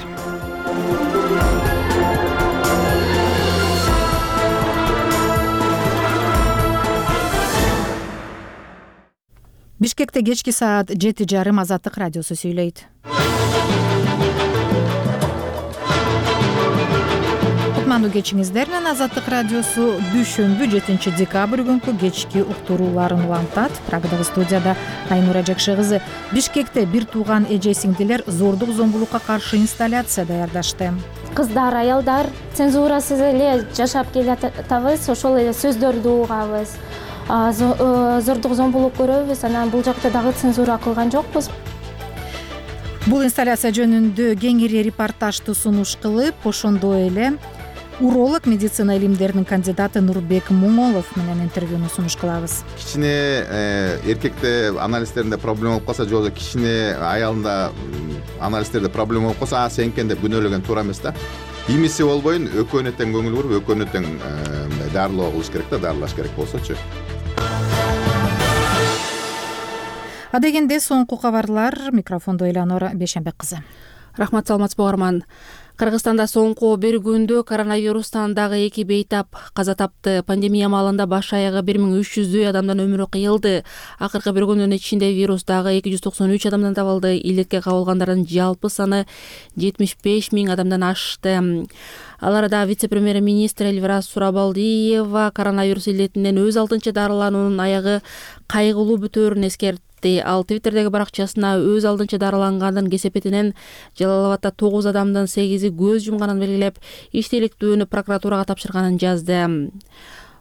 Бишкекте кечки саат 7:30 Азаттык радиосу сүйлөйт. Кутмандуу кечиңиздер менен Азаттык радиосу дүйшөмбү 7 декабрь күнкү кечки уктурууларын улантат. Прагадагы студияда Айнура Жакшы кызы. Бишкекте бир тууган эже сиңдилер зордук зомбулукка каршы инсталляция даярдашты. Кыздар, аялдар цензурасыз эле жашап келатабыз, ошол эле сөздөрдү угабыз. Зордук зомбулук көрөбүз, анан бул жакта дагы цензура кылган жокпуз. Бул инсталляция жөнүндө кеңири репортажды сунуш кылып, ошондой эле уролог, медицина илимдеринин кандидаты Нурбек Муңолов менен интервьюну сунуш кылабыз. Кичине эркекте анализтеринде проблема болуп калса, же болбосо кичине аялында анализтерде проблема болуп калса, сен экен деп күнөөлөгөн туура эмес да. Имиси болбойн, экөөнө тең көңүл буруп, экөөнө тең дарылоо кылыш керек да, дарылаш керек болсочу. Адегенде соңку кабарлар. Микрофондо Элеонора Бешенбек кызы. Рахмат, саламатсызбы угарман. Кыргызстанда соңку бир күндө коронавирустан дагы 2 бейтап каза тапты. Пандемия маалында баш аягы 1300 адамдан өмүрү кыйылды. Акыркы бир күндүн ичинде вирус дагы 293 адамдан табылды. Иликке кабылгандардын жалпы саны 75 000 адамдан ашты. Аларда вице-премьер-министр Эльвира Сурабалдиева коронавирус илетинен өз алдынча дарылануунун аягы кайгылуу бүтөөрүн эскертти. Ал Твиттердеги баракчасына өз алдынча дарылангандын кесепетинен Жалал Абадда 9 адамдын 8-и көз жумганын белгилеп, иштеликтүүнү прокуратурага тапшырганын жазды.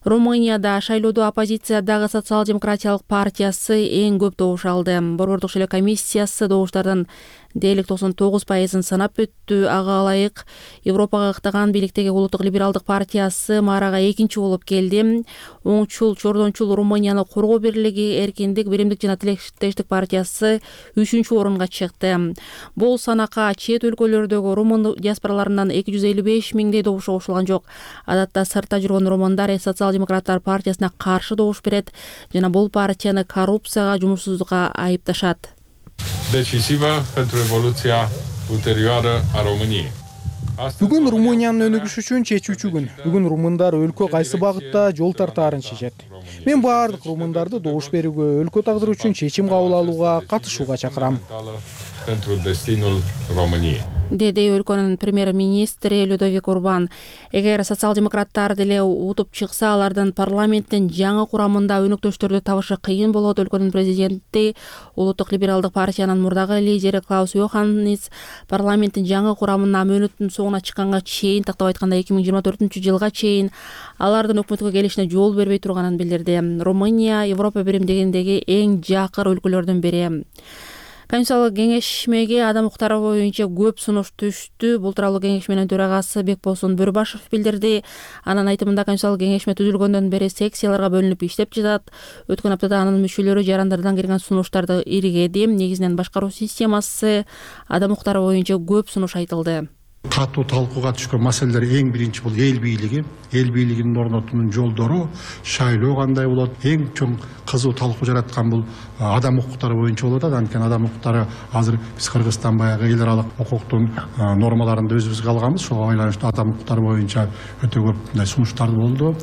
Румынияда шайлоодо оппозициядагы социал-демократиялык партиясы эң көп добуш алды. Борбордук шайлоо комиссиясы добуштардын дээрлик 99%-ын санап өттү. Ага ылайык Европага ыктаган бийликтеги улуттук либералдык партиясы Марага экинчи болуп келди. Оңчул, чордончул Румынияны коргоо бирлиги, эркиндик, биримдик жана тилектештик партиясы 3-чү орунга чыкты. Бул санакка чет өлкөлөрдөгү румын диаспораларынан 255 000 добуш кошулган жок. Адатта сыртта жүргөн румындар социал-демократтар партиясына каршы добуш берет жана бул партияны коррупцияга, жумушсуздукка айыпташат. Decisivă pentru evoluția ulterioară a României. Бүгүн Румыниянын өнүгүшү үчүн чечүүчү күн. Бүгүн румындар өлкө кайсы багытта жол тартаарын чечет. Мен баардык румындарды добуш берүүгө, өлкө тагдыры үчүн чечим кабыл алууга, катышууга чакырам. Pentru destinul României. Деди өлкөнүн премьер-министри Людовик Урбан. Эгер социал-демократтар деле утуп чыкса, алардын парламенттин жаңы курамында өнөктөштөрдү табышы кыйын болот. Өлкөнүн президенти, улуттук либералдык партиянын мурдагы лидери Клаус Йоханнис парламенттин жаңы курамына мөөнөттүн соңуна чыкканга чейин, тактап айтканда 2024-жылга чейин алардын өкмөткө келишине жол бербей турганын билдирди. Румыния Европа биримдигиндеги эң жакыр өлкөлөрдүн бири. Конституциялык кеңешмеге адам укуктары боюнча көп сунуш түштү. Бул тууралуу кеңешменин төрагасы Бекболсун Бөрбашев билдирди. Анын айтымында Конституциялык кеңешме түзүлгөндөн бери секцияларга бөлүнүп иштеп жатат. Өткөн аптада анын мүчөлөрү жарандардан келген сунуштарды иргеди. Негизинен башкаруу системасы, адам укуктары боюнча көп сунуш айтылды. Катуу талкууга түшкөн маселелер эң биринчи бул эл бийлиги. Эл бийлигинин орнотуунун жолдору, шайлоо кандай болот, эң чоң кызуу талкуу жараткан бул адам укуктары боюнча болуп атат. Анткени адам укуктары азыр биз Кыргызстан баягы эл аралык укуктун нормаларында өзүбүзгө алганбыз. Ошого байланыштуу адам укуктары боюнча өтө көп мындай сунуштар болду.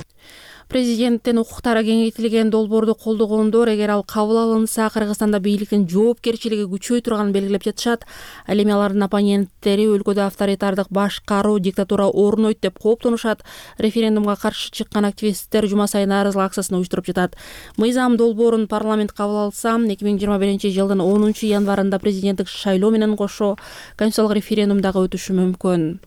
Президенттин укуктары кеңейтилген долбоорду колдогондор, эгер ал кабыл алынса, Кыргызстанда бийликтин жоопкерчилиги күчөй турганын белгилеп жатышат. Ал эми алардын оппоненттери өлкөдө авторитардык башкаруу, диктатура орнойт деп кооптонушат. Референдумга каршы чыккан активисттер жума сайын нааразылык акциясын уюштуруп жатат. Мыйзам долбоорун парламент кабыл алса, 2021-жылдын 10-январында президенттик шайлоо менен кошо конституциялык референдум дагы өтүшү мүмкүн.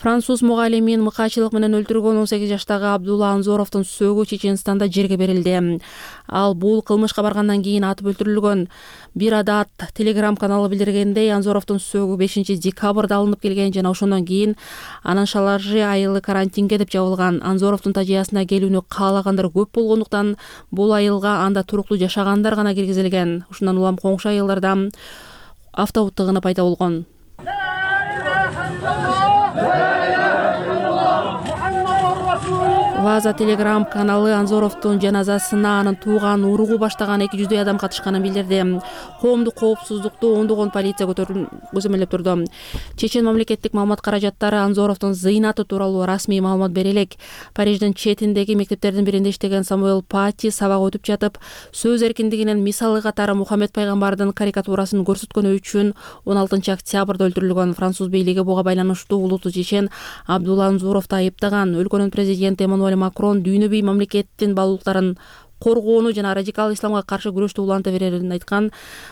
Француз мугалимин мыкаачылык менен өлтүргөн 18 жаштагы Абдулла Анзоровдун сөөгү Чеченстанда жерге берилди. Ал бул кылмышка баргандан кийин атып өлтүрүлгөн. Бир Адат Telegram каналы билдиргендей, Анзоровдун сөөгү 5 декабрда алынып келген жана ошондон кийин анын шалажы айылы карантинге деп жабылган. Анзоровдун тажыясына келүүнү каалагандар көп болгондуктан бул айылга анда туруктуу жашагандар гана киргизилген. Ушундан улам коңшу айылдарда автобут тыгыны пайда болгон. Ваза Telegram каналы Анзоровдун жаназасына анын тууган уругу баштаган 200 адам катышканын билдирди. Коомдук коопсуздукту ондогон полиция көзөмөлдөп турду. Чечен мамлекеттик маалымат каражаттары Анзоровдун зыйнаты тууралуу расмий маалымат бере элек. Париждин четиндеги мектептердин биринде иштеген Самуэль Пати сабак өтүп жатып, сөз эркиндигинин мисалы катары Мухаммед пайгамбардын карикатурасын көрсөткөнү үчүн 16 октябрда өлтүрүлгөн. Француз бийлиги буга байланыштуу улуттуу чечен Абдулла Анзоровду айыптаган. Өлкөнүн президенти Эммануэль Макрон дүйнөбүй мамлекеттин баалуулуктарын коргоону жана радикал исламга каршы күрөштү уланта берерин айткан.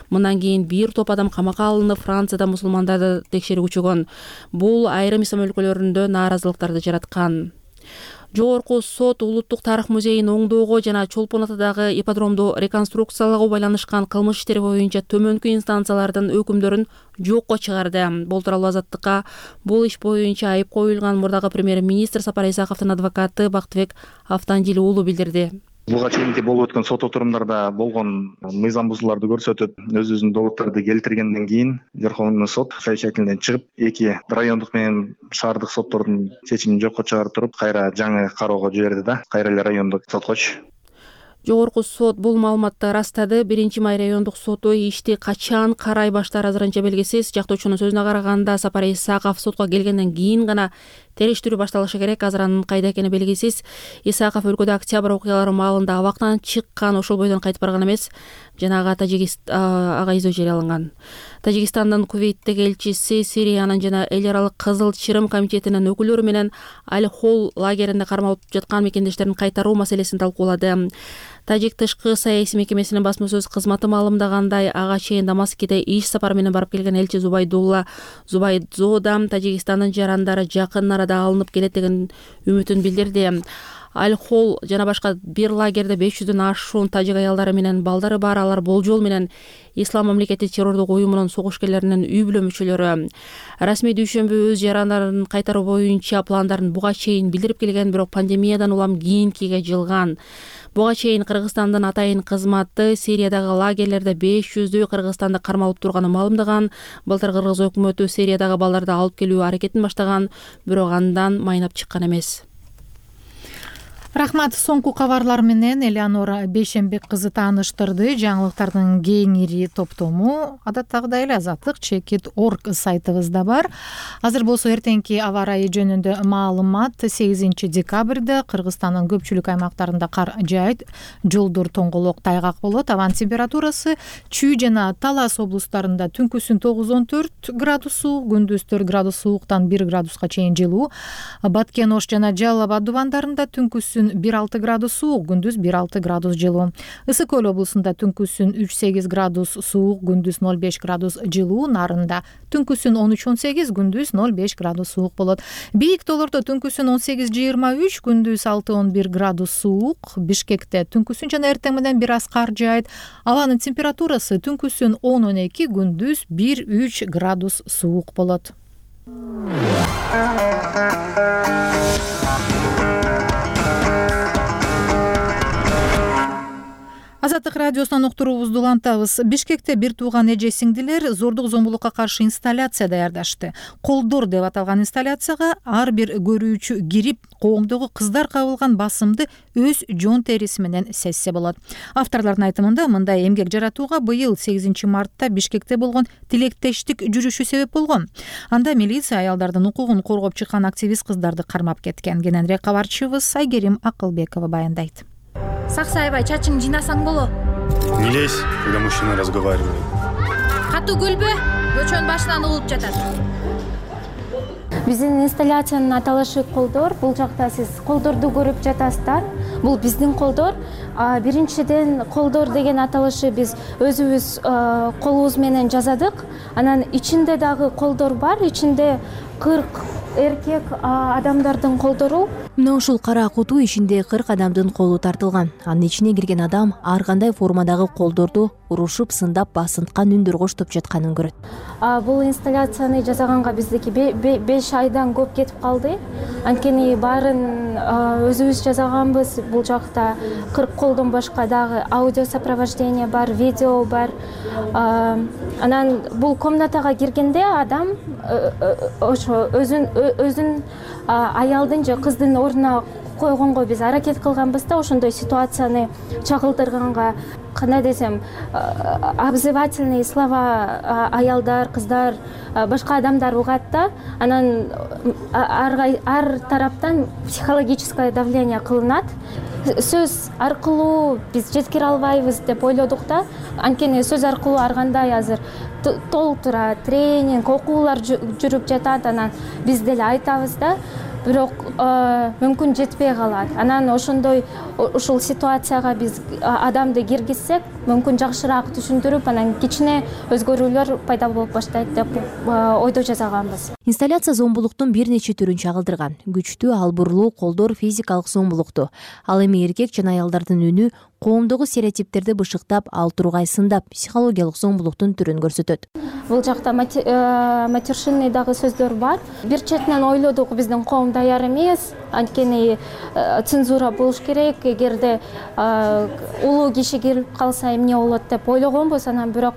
Мындан кийин бир топ адам камакка алынып, Францияда мусулмандарды текшерүү күчөгөн. Бул айрым ислам өлкөлөрүндө нааразылыктарды жараткан. Жогорку сот Улуттук тарых музейин оңдоого жана Чолпон атадагы ипподромду реконструкциялагуу байланышкан кылмыш иштери боюнча төмөнкү инстанциялардын өкүмдөрүн жокко чыгарды. Бул тууралуу Азаттыкка бул иш боюнча айып коюлган мурдагы премьер-министр Сапар Исаковдун адвокаты Бактыбек Автандил уулу билдирди. Буга чейинки болуп өткөн сот отурумдарда болгон мыйзам бузууларды көрсөтүп, өзүнүн доводдорду келтиргенден кийин Верховный сот совещательден чыгып, эки райондук менен шаардык соттордун чечимин жокко чыгарып туруп, кайра жаңы кароого жиберди да, кайра эле райондук соткочу. Жогорку сот бул маалыматты растады. 1-май райондук соту ишти качан карай баштаар азырынча белгисиз. Жактоочунун сөзүнө караганда, Сапар Исаков сотко келгенден кийин гана териштирүү башталышы керек. Азыр анын кайда экени белгисиз. Исаков өлкөдө октябрь окуялары маалында абактан чыккан, ошол бойдон кайтып барган эмес. Жанагы ага изөө жарыяланган. Тажикстандын Кувейттеги элчиси Сириянын жана эл аралык Кызыл Чырым комитетинин өкүлдөрү менен Аль-Хол лагеринде кармалып жаткан мекендештерин кайтаруу маселесин талкуулады. Тажик тышкы саясий мекемесинин басма сөз кызматы маалымдагандай, ага чейин Дамаскиде иш сапары менен барып келген элчи Зубайдулла Зубайдзода Тажикстандын жарандары жакын арада алынып келет деген үмүтүн билдирди. Аль-Хол жана башка бир лагерде 500дөн ашуун тажик аялдары менен балдары бар. Алар болжол менен Ислам мамлекети террордук уюмунун согушкерлеринин үй бүлө мүчөлөрү. Расмий дүйшөмбү өз жарандарын кайтаруу боюнча пландарын буга чейин билдирип келген, бирок пандемиядан улам кийинкиге жылган. Буга чейин Кыргызстандын атайын кызматы Сириядагы лагерлерде 500дөй кыргызстанды кармалып турганын маалымдаган. Былтыр Кыргыз өкмөтү Сириядагы балдарды алып келүү аракетин баштаган, бирок андан майнап чыккан эмес. Рахмат. Соңку кабарлар менен Элеонора Бейшембек кызы тааныштырды. Жаңылыктардын кеңири топтому адаттагыдай эле Азаттык Чекит.org сайтыбызда бар. Азыр болсо эртеңки аба ырайы жөнүндө маалымат. 8 декабрда Кыргызстандын көпчүлүк аймактарында кар жаайт, жолдор тоңголок, тайгак болот. Абанын температурасы Чүй жана Талас облустарында түнкүсүн 9-14 градус суук, күндүз 4 градус сууктан 1 градуска чейин жылуу. Баткен, Ош жана Жалал Абад дубандарында түнкүсүн 1-6 градус суук, күндүз 1-6 градус жылуу. Ысык Көл облусунда түнкүсүн 3-8 градус суук, күндүз 0-5 градус жылуу. Нарында түнкүсүн 13-18, күндүз 0-5 градус суук болот. Бийик тоолордо түнкүсүн 18-23, күндүз 6-11 градус суук. Бишкекте түнкүсүн жана эртең менен бир аз кар жаайт. Абанын температурасы түнкүсүн 10-12, күндүз 1-3 градус суук болот. Азаттык радиосунан уктуруубузду улантабыз. Бишкекте бир тууган эже сиңдилер зордук зомбулукка каршы инсталляция даярдашты. Колдор деп аталган инсталляцияга ар бир көрүүчү кирип, коомдогу кыздар кабылган басымды өз жон териси менен сезсе болот. Авторлордун айтымында мындай эмгек жаратууга быйыл 8 мартта Бишкекте болгон тилектештик жүрүшү себеп болгон. Анда милиция аялдардын укугун коргоп чыккан активист кыздарды кармап кеткен. Кененирээк кабарчыбыз Айгерим Акылбекова баяндайт. Саксай аябай, чачың жинасаң боло. Не лезь, когда мужчина разговаривает. Катуу күлбө, көчөнүн башынан угулуп жатат. Биздин инсталляциянын аталышы колдор. Бул жакта сиз колдорду көрүп жатасыздар. Бул биздин колдор. Биринчиден колдор деген аталышы биз өзүбүз колубуз менен жасадык. Анан ичинде дагы колдор бар. Ичинде 40 эркек адамдардын колдору. Мына ушул кара куту ичинде 40 адамдын колу тартылган. Анын ичине кирген адам ар кандай формадагы колдорду урушуп, сындап, басынткан үндөр коштоп жатканын көрөт. Бул инсталляцияны жасаганга биздики 5 айдан көп кетип калды. Анткени баарын өзүбүз жасаганбыз. Бул жакта 40 колдон башка дагы аудио сопровождение бар, видео бар. Анан бул комнатага киргенде адам ошо өзүн аялдын же кыздын ордуна койгонго биз аракет кылганбыз да, ошондой ситуацияны чагылдырганга, кандай десем, обзывательный слова аялдар, кыздар, башка адамдар угат да. Анан ар тараптан психологическое давление кылынат. Сөз аркылуу биз жеткире албайбыз деп ойлодук да. Анткени сөз аркылуу ар кандай азыр толтура тренинг, окуулар жүрүп жатат. Анан биз деле айтабыз да, бирок мүмкүн жетпей калат. Анан ушул ситуацияга биз адамды киргизсек, мүмкүн жакшыраак түшүндүрүп, анан кичине өзгөрүүлөр пайда болуп баштайт деп ойдо жасаганбыз. Инсталляция зомбулуктун бир нече түрүн чагылдырган. Күчтүү, албурлуу колдор физикалык зомбулукту. Ал эми эркек жана аялдардын үнү коомдогу стереотиптерди бышыктап, ал тургай сындап, психологиялык зомбулуктун түрүн көрсөтөт. Бул жакта матершинный дагы сөздөр бар. Бир четинен ойлодук, биздин коом даяр эмес, анткени цензура болуш керек. Эгерде улуу киши кирип калса эмне болот деп ойлогонбуз. Анан бирок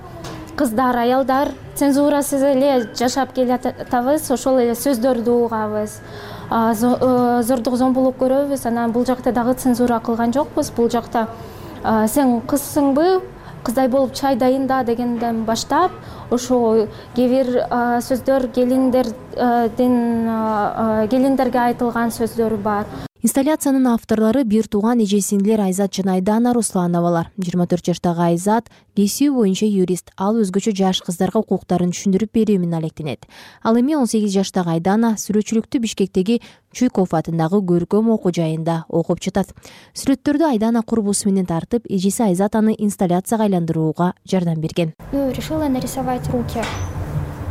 кыздар, аялдар цензурасыз эле жашап келатабыз, ошол эле сөздөрдү угабыз. Зордук зомбулук көрөбүз. Анан бул жакта дагы цензура кылган жокпуз. Бул жакта сен кызсыңбы, кыздай болуп чай дайында дегенден баштап, ошо кээ бир сөздөр келиндерге айтылган сөздөр бар. Инсталляциянын авторлору бир тууган эже сиңдилер Айзат жана Айдана Руслановалар. 24 жаштагы Айзат кесиби боюнча юрист. Ал өзгөчө жаш кыздарга укуктарын түшүндүрүп берүү менен алектенет. Ал эми 18 жаштагы Айдана сүрөтчүлүктү Бишкектеги Чуйков атындагы көркөм окуу жайында окуп жатат. Сүрөттөрдү Айдана курбусу менен тартып, эжеси Айзат аны инсталляцияга айландырууга жардам берген. Решила нарисовать руки.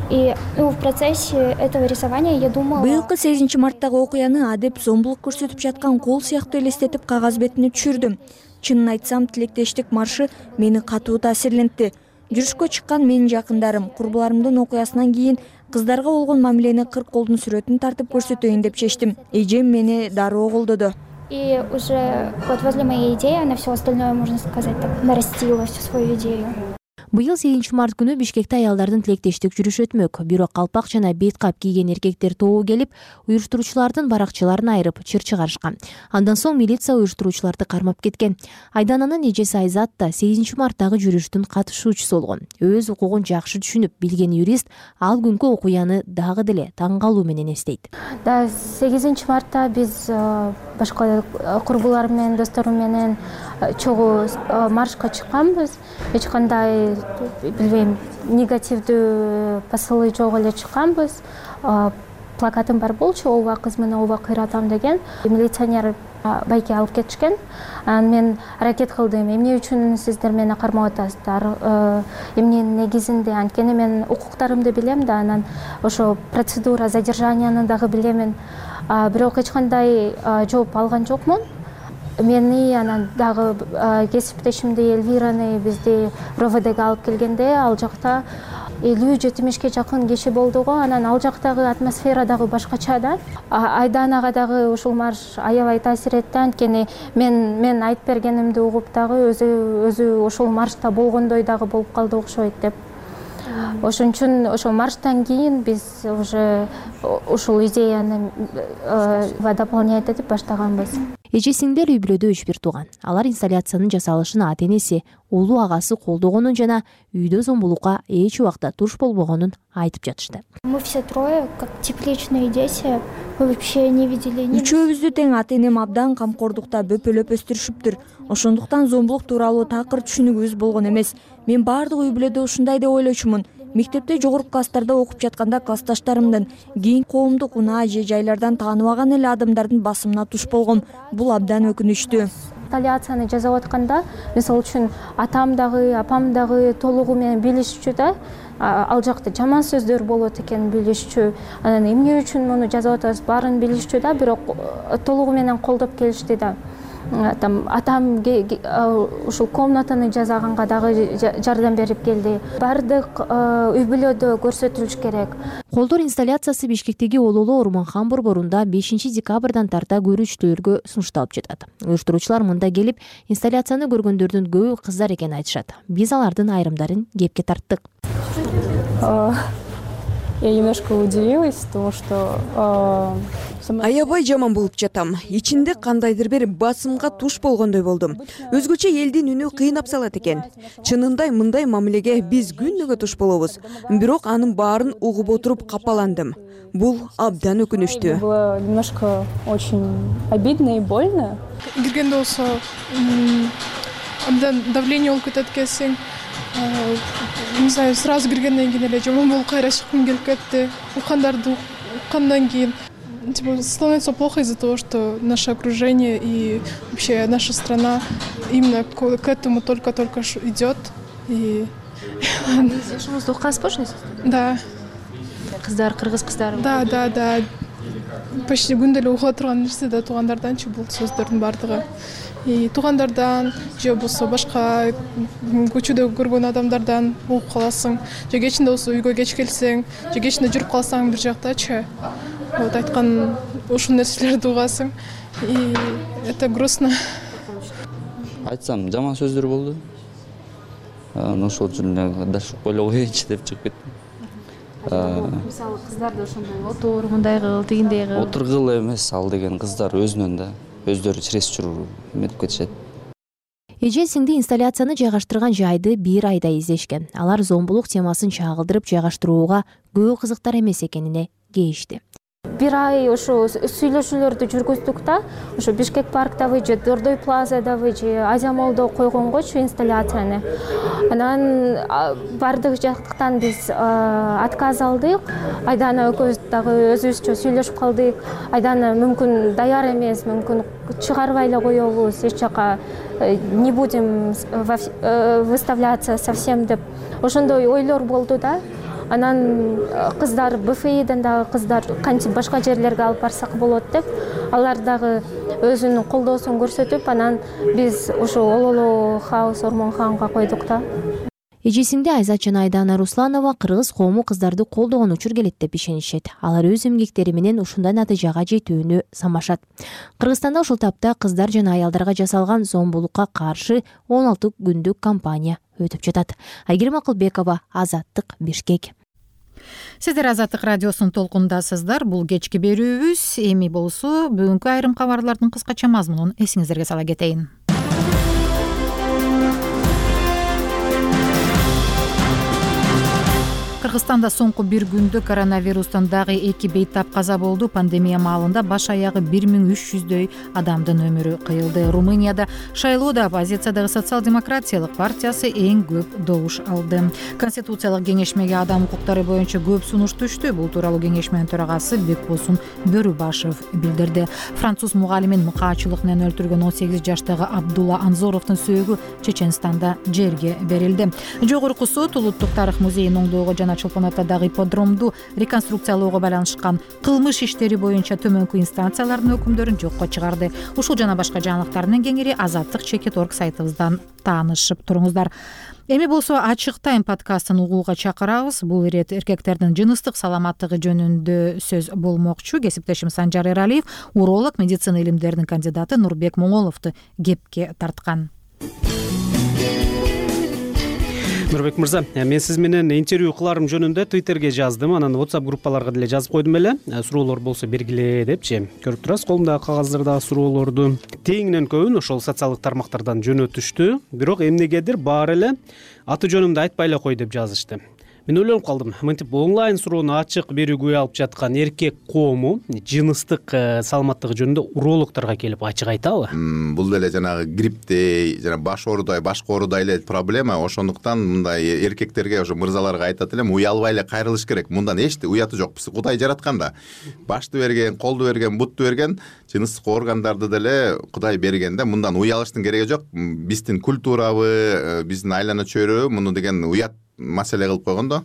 И в процессе этого рисования я думала... Быйылкы 8 марттагы окуяны адеп зомбулук көрсөтүп жаткан кол сыяктуу элестетип кагаз бетине түшүрдүм. Чынын айтсам, тилектештик маршы мени катуу таасирлентти. Жүрүшкө чыккан менин жакындарым курбуларымдын окуясынан кийин кыздарга болгон мамилени 40 колдун сүрөтүн тартып көрсөтөйүн деп чечтим. Эжем мени дароо колдоду. И уже вот возле моей идеи она все остальное, можно сказать, так нарастила всю свою идею. Быйыл 8 март күнү Бишкекте аялдардын тилектештик жүрүшү өтмөк. Бирок калпак жана бет кап кийген эркектер тобу келип, уюштуруучулардын баракчыларын айырып чыр чыгарышкан. Андан соң милиция уюштуруучуларды кармап кеткен. Айдананын эжеси Айзат да 8 марттагы жүрүштүн катышуучусу болгон. Өз укугун жакшы түшүнүп билген юрист ал күнкү окуяны дагы деле таң калуу менен эстейт. Да, 8 мартта биз башка курбуларым менен, досторум менен чогуу маршка чыкканбыз. Эч кандай билбейм, негативдүү посылы жок эле чыкканбыз. Плакатым бар болчу, ооба кыз менен ооба кыйратам деген. Милиционер байке алып кетишкен. Мен аракет кылдым, эмне үчүн сиздер мени кармап атасыздар, эмненин негизинде, анткени мен укуктарымды билем да, анан ошо процедура задержанияны дагы билемин. Бирок эч кандай жооп алган жокмун. Мени анан дагы кесиптешимди Эльвираны бизди РОВДга алып келгенде, ал жакта 50-70ке жакын киши болду го. Анан ал жактагы атмосфера дагы башкача да. Айданага дагы ушул марш аябай таасир этти, анткени мен айтып бергенимди угуп дагы өзү ошол маршта болгондой дагы болуп калды окшойт деп. Ошон үчүн ошол марштан кийин биз уже ушул идеяны дополнять этип баштаганбыз. Эже сиңдер үй бүлөдө 3 тууган. Алар инсталляциянын жасалышын ата-энеси, улуу агасы колдогонун жана үйдө зомбулукка эч убакта туш болбогонун айтып жатышты. Мы все трое, как тепличные дети, вообще не видели. Үчөөбүздү тең ата-энем абдан камкордукта бөпөлөп өстүрүшүптүр. Ошондуктан зомбулук тууралуу такыр түшүнүгүбүз болгон эмес. Мен баардык үй бүлөдө ушундай деп ойлочумун. Мектепте жогорку класстарда окуп жатканда классташтарымдын кийин коомдук унаа же жайлардан тааныбаган эле адамдардын басымына туш болгом. Бул абдан өкүнүчтүү. инсталляцияны жасап атканда мисалы үчүн атам дагы апам дагы толугу менен билишчү да, ал жакта жаман сөздөр болот экенин билишчү, анан эмне үчүн муну жасап атабыз баарын билишчү да, бирок толугу менен колдоп келишти да. Атам ушул комнатаны жасаганга дагы жардам берип келди. Баардык үй бүлөдө көрсөтүлүш керек. Колдор инсталляциясы Бишкектеги Ололо Орманхан борборунда 5 декабрдан тарта көрүүчүлөргө сунушталып жатат. Уюштуруучулар мында келип инсталляцияны көргөндөрдүн көбү кыздар экенин айтышат. Биз алардын айрымдарын кепке тарттык. Я немножко удивилась, потому что аябай жаман болуп жатам. Ичинде кандайдыр бир басымга туш болгондой болдум. Өзгөчө элдин үнү кыйнап салат экен. Чынында мындай мамилеге биз күнүгө туш болобуз. Бирок анын баарын угуп отуруп капаландым. Бул абдан өкүнүчтүү. Было немножко очень обидно и больно. Киргенде болсо абдан давление болуп кетет экенсиң. Не знаю, сразу киргенден кийин эле жаман болуп кайра чыккым келип кетти. Уккандарды уккандан кийин становится плохо из-за того, что наше окружение и вообще наша страна именно к этому только-только идет. И Жашыңызды уккансызбы ошондой? Да. Кыздар, кыргыз кыздары. Да. Почти күндө эле угуп турган нерсе да туугандарданчы бул сөздөрдүн баардыгы. И туугандардан же болбосо башка көчөдө көргөн адамдардан угуп каласың. Же кечинде болсо үйгө кеч келсең, же кечинде жүрүп калсаң бир жактачы. Вот айткан ушул нерселерди угасың. И это грустно. Айтсам, жаман сөздөр болду. Ошол үчүн даш ойлоп коеюнчу деп чыгып кеттим. Мисалы кыздарды ошондой отур, мындай кыл, тигиндей кыл. Отургул эмес ал деген кыздар өзүнөн да өздөрү чересчур эметип кетишет. Эже сиңди инсталляцияны жайгаштырган жайды бир айда издешкен. Алар зомбулук темасын чагылдырып жайгаштырууга көбү кызыктар эмес экенине кейишти. Бир ай ошо сүйлөшүүлөрдү жүргүздүк да, ошо Бишкек парктабы же Дордой плазадабы же Азия молдо койгонгочу инсталляцияны. Анан бардык жактан биз отказ алдык. Айдана экөөбүз дагы өзүбүзчө сүйлөшүп калдык. Айдана мүмкүн даяр эмес, мүмкүн чыгарбай эле коебуз, эч жака не будем выставляться совсем деп ошондой ойлор болду да. Анан кыздар БФИден дагы кыздар кантип башка жерлерге алып барсак болот деп, алар дагы өзүнүн колдоосун көрсөтүп, анан биз ошо Ололо хаус Орманханга койдук да. Эжесиңди Айзат жана Айдана Русланова кыргыз коому кыздарды колдогон учур келет деп ишенишет. Алар өз эмгектери менен ушундай натыйжага жетүүнү самашат. Кыргызстанда ушул тапта кыздар жана аялдарга жасалган зомбулукка каршы 16 күндүк кампания өтүп жатат. Айгерим Акылбекова, Азаттык, Бишкек. Сиздер Азаттык радиосунун толкундасыздар. Бул кечки берүүбүз. Эми болсо бүгүнкү айрым кабарлардын кыскача мазмунун эсиңиздерге сала кетейин. Кыргызстанда соңку бир күндө коронавирустан дагы 2 бейтап каза болду. Пандемия маалында баш аягы 1300дөй адамдын өмүрү кыйылды. Румынияда шайлоодо оппозициядагы социал-демократиялык партиясы эң көп добуш алды. Конституциялык кеңешмеге адам укуктары боюнча көп сунуш түштү. Бул тууралуу кеңешменин төрагасы Бекбосун Бөрүбашев билдирди. Француз мугалимин мыкаачылык менен өлтүргөн 18 жаштагы Абдулла Анзоровдун сөөгү Чеченстанда жерге берилди. Жогорку сот Улуттук тарых музейин оңдоого жана Чолпон атадагы ипподромду реконструкциялоого байланышкан кылмыш иштери боюнча төмөнкү инстанциялардын өкүмдөрүн жокко чыгарды. Ушул жана башка жаңылыктар менен кеңири Азаттык.org сайтыбыздан таанышып туруңуздар. Эми болсо Ачык Тайм подкастын угууга чакырабыз. Бул ирет эркектердин жыныстык саламаттыгы жөнүндө сөз болмокчу. Кесиптешим Санжар Эралиев уролог, медицина илимдеринин кандидаты Нурбек Моңоловду кепке тарткан. Нурбек мырза, мен сиз менен интервью кыларым жөнүндө Twitterге жаздым, анан WhatsApp группаларга деле жазып койдум эле. Суроолор болсо бергиле депчи. Көрүп турасыз, колумдагы кагаздарда суроолорду тегинен көбүн ошол социалдык тармактардан жөнөтүштү. Бирок эмнегедир баары эле аты жөнүмдү айтпай эле кой деп жазышты. мен ойлонуп калдым, мынтип онлайн суроону ачык берүүгө алып жаткан эркек коому жыныстык саламаттыгы жөнүндө урологторго келип ачык айтабы? Бул деле жанагы грипптей жана баш оорудай, башка оорудай эле проблема. Ошондуктан мындай эркектерге, ошо мырзаларга айтат элем, уялбай эле кайрылыш керек. Мындан эч уяты жок. Кудай жаратканда башты берген, колду берген, бутту берген, жыныстык органдарды деле Кудай берген да. Мындан уялыштын кереги жок. Биздин культурабы, биздин айлана чөйрө муну деген уят маселе кылып койгондо,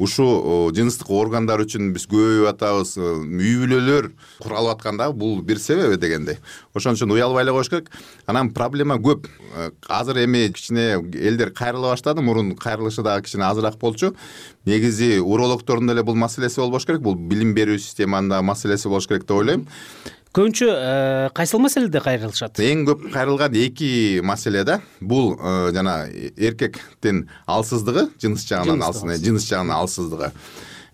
ушул жыныстык органдар үчүн биз көбөйүп атабыз, үй бүлөлөр куралып атканда бул бир себеби дегендей. Ошон үчүн уялбай эле коюш керек. Анан проблема көп. Азыр эми кичине элдер кайрыла баштады, мурун кайрылышы дагы кичине азыраак болчу. Негизи урологтордун деле бул маселеси болбош керек, бул билим берүү системанын маселеси болуш керек деп ойлойм. Көбүнчө кайсыл маселеде кайрылышат? Эң көп кайрылган эки маселе да. Бул жана эркектин алсыздыгы, жыныс жагынан алсыздыгы.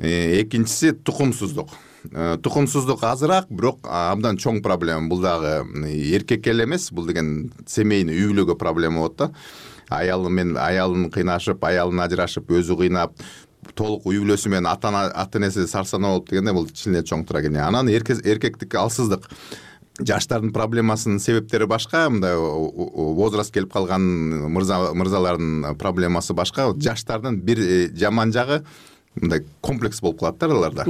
Экинчиси тукумсуздук. Тукумсуздук азыраак, бирок абдан чоң проблема. Бул дагы эркекке эле эмес, бул деген семейный үй бүлөгө проблема болот да. Аялын кыйнашып, аялын ажырашып, өзү кыйнап, толук үй бүлөсү менен ата энеси сарсанаа болуп дегенде бул чын эле чоң трагедия. Анан эркектик алсыздык, жаштардын проблемасынын себептери башка, мындай возраст келип калган мырзалардын проблемасы башка. Жаштардын бир жаман жагы мындай комплекс болуп калат да аларда.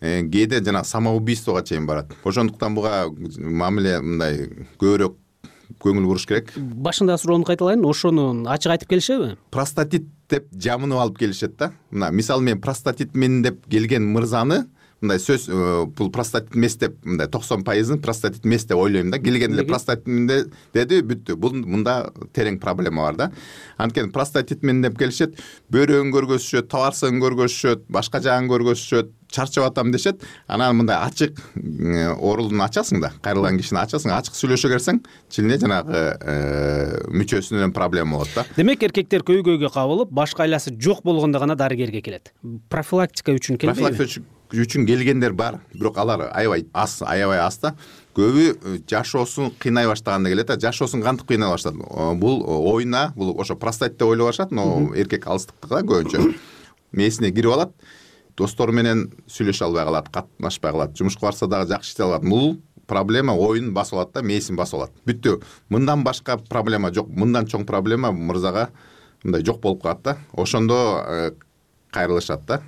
Кээде жана самоубийствого чейин барат. Ошондуктан буга мамиле мындай көбүрөөк көңүл буруш керек. Башында суроону кайталайын, ошону ачык айтып келишеби? Простатит деп жамынып алып келишет да. Мына мисалы мен простатитмин деп келген мырзаны мындай сөз бул простатит эмес деп мындай 90%-ын простатит эмес деп ойлойм да. Келген эле простатитмин деди, бүттү. Бул мында терең проблема бар да. Анткени простатитмин деп келишет, бөөрөгүн көргөзүшөт, табарсыгын көргөзүшөт, башка жагын көргөзүшөт, чарчап атам дешет. Анан мындай ачык оорулууну ачасың да, кайрылган кишини ачасың, ачык сүйлөшө келсең, чилине жанагы мүчөсүнөн проблема болот да. Демек эркектер көйгөйгө кабылып, башка айласы жок болгондо гана дарыгерге келет. Профилактика үчүн келбейби? Профилактика үчүн келгендер бар, бирок алар аябай аз да. Көбү жашоосун кыйнай баштаганда келет да. Жашоосун кантип кыйнай баштады? Бул ойна, бул ошо простатит деп ойлоп башат, но эркек алыстыктыгы да көбүнчө. Мээсине кирип алат, достору менен сүйлөшө албай калат, катнашпай калат, жумушка барса дагы жакшы иштей алат. Бул проблема оюн басып алат да, мээсин басып алат. Бүттү. Мындан башка проблема жок. Мындан чоң проблема мырзага мындай жок болуп калат да. Ошондо кайрылышат да.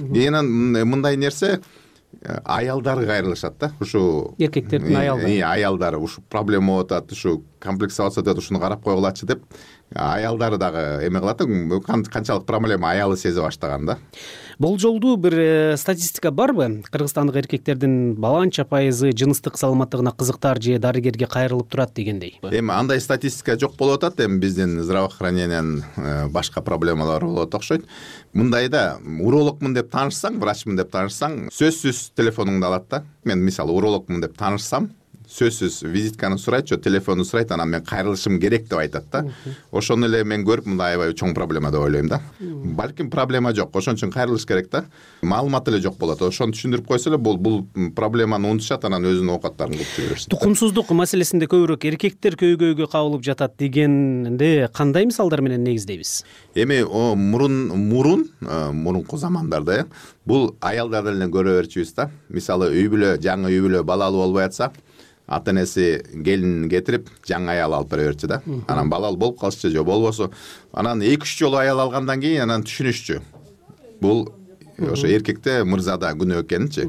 Мындай нерсе аялдары кайрылышат да. Ушу эркектердин аялдары ушу проблема болуп атат, ушу комплексация деп ушуну карап койгулачы деп аялдары дагы эме кылат да. Канчалык проблема аялы сезе баштаган да. Болжолдуу бир статистика барбы? Кыргызстандык эркектердин баланча пайызы жыныстык саламаттыгына кызыктар же дарыгерге кайрылып турат дегендей. Эми андай статистика жок болуп атат. Эми биздин здравоохранениянын башка проблемалары болот окшойт. Мындайда урологмун деп таанышсаң, врачмын деп таанышсаң, сөзсүз телефонуңду алат да. Мен мисалы урологмун деп таанышсам, сөзсүз визитканы сурайт, же телефонду сурайт, анан мен кайрылышым керек деп айтат да. Ошону эле мен көрүп, мындай аябай чоң проблема деп ойлойм да. Балким проблема жок, ошон үчүн кайрылыш керек да. Маалымат эле жок болот. Ошону түшүндүрүп койсо эле бул проблеманы унутушат, анан өзүнүн оокаттарын кылып жүрө беришет. Тукумсуздук маселесинде көбүрөөк эркектер көйгөйгө кабылып жатат дегенде кандай мисалдар менен негиздейбиз? Эми мурунку замандарда бул аялдардан эле көрө берчүбүз да. Мисалы жаңы үй бүлө балалуу болбой атса, ата энеси келин кетирип, жаңы аял алып бере берчү да. Анан балалуу болуп калышчу же болбосо, анан 2-3 жолу аял алгандан кийин анан түшүнүшчү. Бул ошо эркекте мырзада күнөө экенинчи.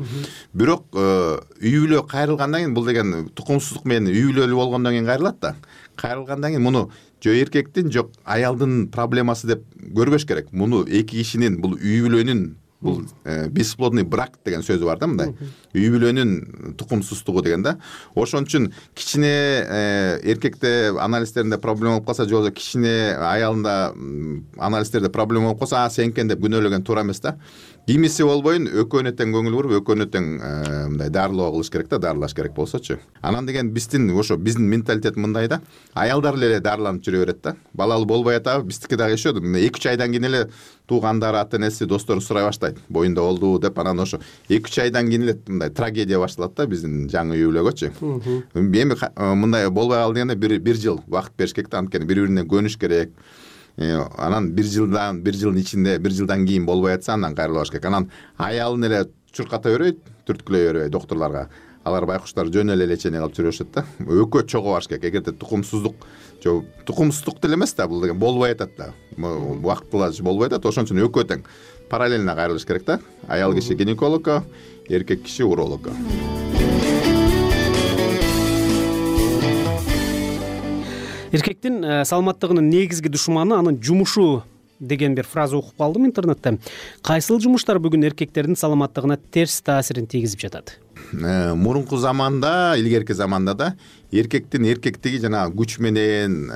Бирок үй бүлө кайрылгандан кийин, бул деген тукумсуздук менен үй бүлөлүү болгондон кийин кайрылат да. Кайрылгандан кийин муну жо эркектин, жок аялдын проблемасы деп көрбөш керек. Муну эки кишинин, бул үй бүлөнүн, бул бесплодный брак деген сөзү бар да мындай. Үй бүлөнүн тукумсуздугу деген да. Ошон үчүн кичине эркекте анализдеринде проблема болуп калса, же болбосо кичине аялында анализдерде проблема болуп калса, сенкен деп күнөөлөгөн туура эмес да. Кимиси болбойын, экөөнө тең көңүл буруп, экөөнө тең мындай дарылоо кылыш керек да, дарылаш керек болсочу. Анан деген биздин менталитет мындай да. Аялдар эле дарыланып жүрө берет да. Балалуу болбой атабы, биздики дагы ишөдү. 2-3 айдан кийин эле туугандары, ата энеси, достору сурай баштайт. Боюнда болду деп, анан ошо 2-3 айдан кийин эле мындай трагедия башталат да биздин жаңы үй бүлөгөчү. Эми мындай болбой калды дегенде бир жыл убакыт бериш керек да, анткени бири-бирине көнүш керек. анан бир жылдын ичинде, бир жылдан кийин болбой атса андан кайрылбаш керек. Анан аялын эле чурката бербейт, түрткүлөй бербейт доктурларга. Алар байкуштар жөн эле лечение кылып жүрүшөт да. Өкө чогуу баш керек. Эгерде тукумсуздук деле эмес да, бул деген болбой атат да. Убактылуу болбой атат, ошон үчүн өкө тең параллельно кайрылыш керек да. Аял киши гинекологко, эркек киши урологко. Эркектин саламаттыгынын негизги душманы анын жумушу деген бир фраза окуп калдым интернетте. Кайсыл жумуштар бүгүн эркектердин саламаттыгына терс таасирин тийгизип жатат? Мурунку заманда, илгерки заманда да эркектин эркектиги жана күч менен,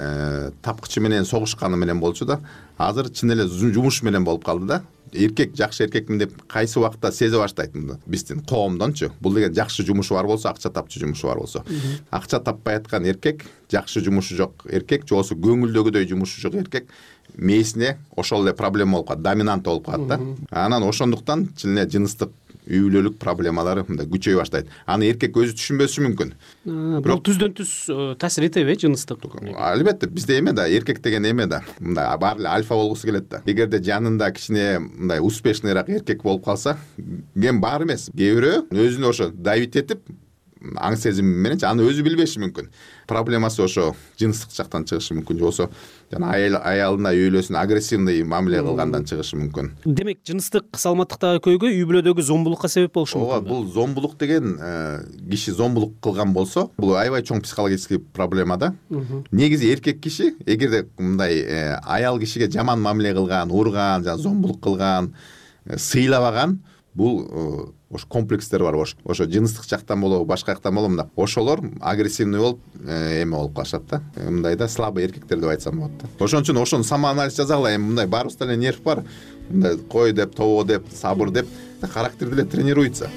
тапкычы менен согушканы менен болчу да. Азыр чын эле жумуш менен болуп калды да. Эркек жакшы эркекмин деп кайсы убакта сезе баштайт мынды. Биздин коомдончу. Бул деген жакшы жумушу бар болсо, акча тапчу жумушу бар болсо. Акча таппай аткан эркек, жакшы жумушу жок эркек, же болбосо көңүлдөгүдөй жумушу жок эркек мээсине ошол эле проблема болуп калат, доминант болуп калат да. Анан ошондуктан чын эле жыныстык үй-бүлөлүк проблемалары мындай күчөй баштайт. Аны эркек өзү түшүнбөсү мүмкүн. Бирок түздөн түз таасир этеби жыныстык? Албетте, бизде эме да, эркек деген эме да. Мындай баары эле альфа болгусу келет да. Эгерде жанында кичине мындай успешныйраак эркек болуп калса, кем баары эмес. Кээ бирөө өзүнө ошо давить этип, аң сезими менен аны өзү билбеши мүмкүн. Проблемасы ошо жыныстык жактан чыгышы мүмкүн, же болбосо жана аялына, үйлөсүнө агрессивный мамиле кылгандан чыгышы мүмкүн. Демек, жыныстык саламаттыктагы көйгөй үй бүлөдөгү зомбулукка себеп болушу мүмкүн. Ооба, бул зомбулук деген киши зомбулук кылган болсо, бул аябай чоң психологический проблема да. Негизи эркек киши эгерде мындай аял кишиге жаман мамиле кылган, урган, жана зомбулук кылган, сыйлабаган, бул ошо комплекстер бар, ошо жыныстык жактан болобу, башка жактан болобу, мындай ошолор агрессивный болуп эме болуп калышат да. Мындай да слабый эркектер деп айтсам болот да. Ошон үчүн ошону самоанализ жасагыла. Эми мындай баарыбызда эле нерв бар. Мындай кой деп, тобо деп, сабыр деп характерди эле тренируется.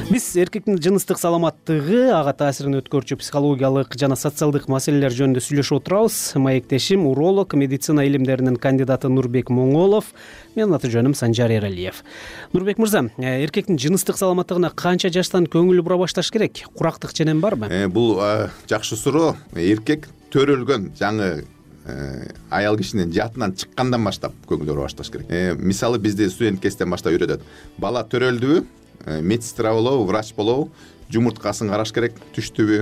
Биз эркектин жыныстык саламаттыгы, ага таасирин өткөрчү психологиялык жана социалдык маселелер жөнүндө сүйлөшүп отурабыз. Маектешим уролог, медицина илимдеринин кандидаты Нурбек Моңолов. Менин аты жөнүм Санжар Эралиев. Нурбек мырза, эркектин жыныстык саламаттыгына канча жаштан көңүл бура башташ керек? Курактык ченем барбы? Бул жакшы суроо. Эркек төрөлгөн жаңы аял кишинин жатынан чыккандан баштап көңүл бура башташ керек. Мисалы бизде студент кезден баштап үйрөтөт. Бала төрөлдүбү, медсестра болобу, врач болобу, жумурткасын караш керек, түштүбү,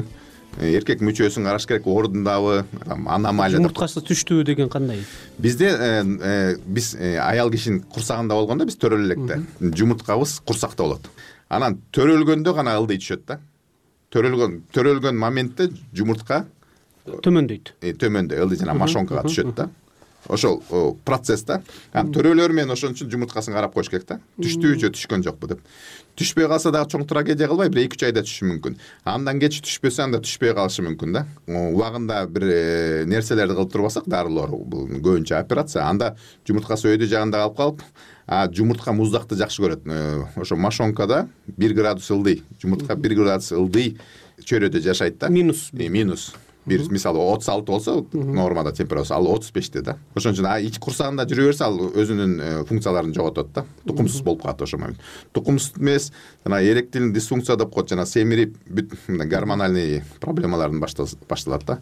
эркек мүчөсүн караш керек, ордундабы, аномалия. Жумурткасы түштүбү деген кандай? Бизде биз аял кишинин курсагында болгондо биз төрөлө электе. Жумурткабыз курсакта болот. Анан төрөлгөндө гана ылдый түшөт да. Төрөлгөн моментте жумуртка төмөндөйт. Төмөндө ылдый жана мошонкага түшөт да. Ошол процесста төрөлөр менен ошон үчүн жумурткасын карап коюш керек да. Түштүбү же түшкөн жокпу деп. Түшпөй калса дагы чоң трагедия кылбай, 1-2 айда түшүшү мүмкүн. Андан кеч түшпөсө, анда түшпөй калышы мүмкүн да. Убагында бир нерселерди кылып турбасак, дарылар, бул көбүнчө операция, анда жумурткасы өйдө жагында калып калып, жумуртка муздакты жакшы көрөт. Ошо мошонкада 1 градус ылдый, жумуртка 1 градус ылдый чөйрөдө жашайт да. Минус. Бир мисалы 36 болсо нормада температурасы, ал 35те да. Ошон үчүн ич курсагында жүрө берсе, ал өзүнүн функцияларын жоготот да. Тукумсуз болуп калат ошол момент. Тукумсуз эмес, жана эректилдин дисфункция деп коет, жана семирип бүт гормоналный проблемалардын башталат да.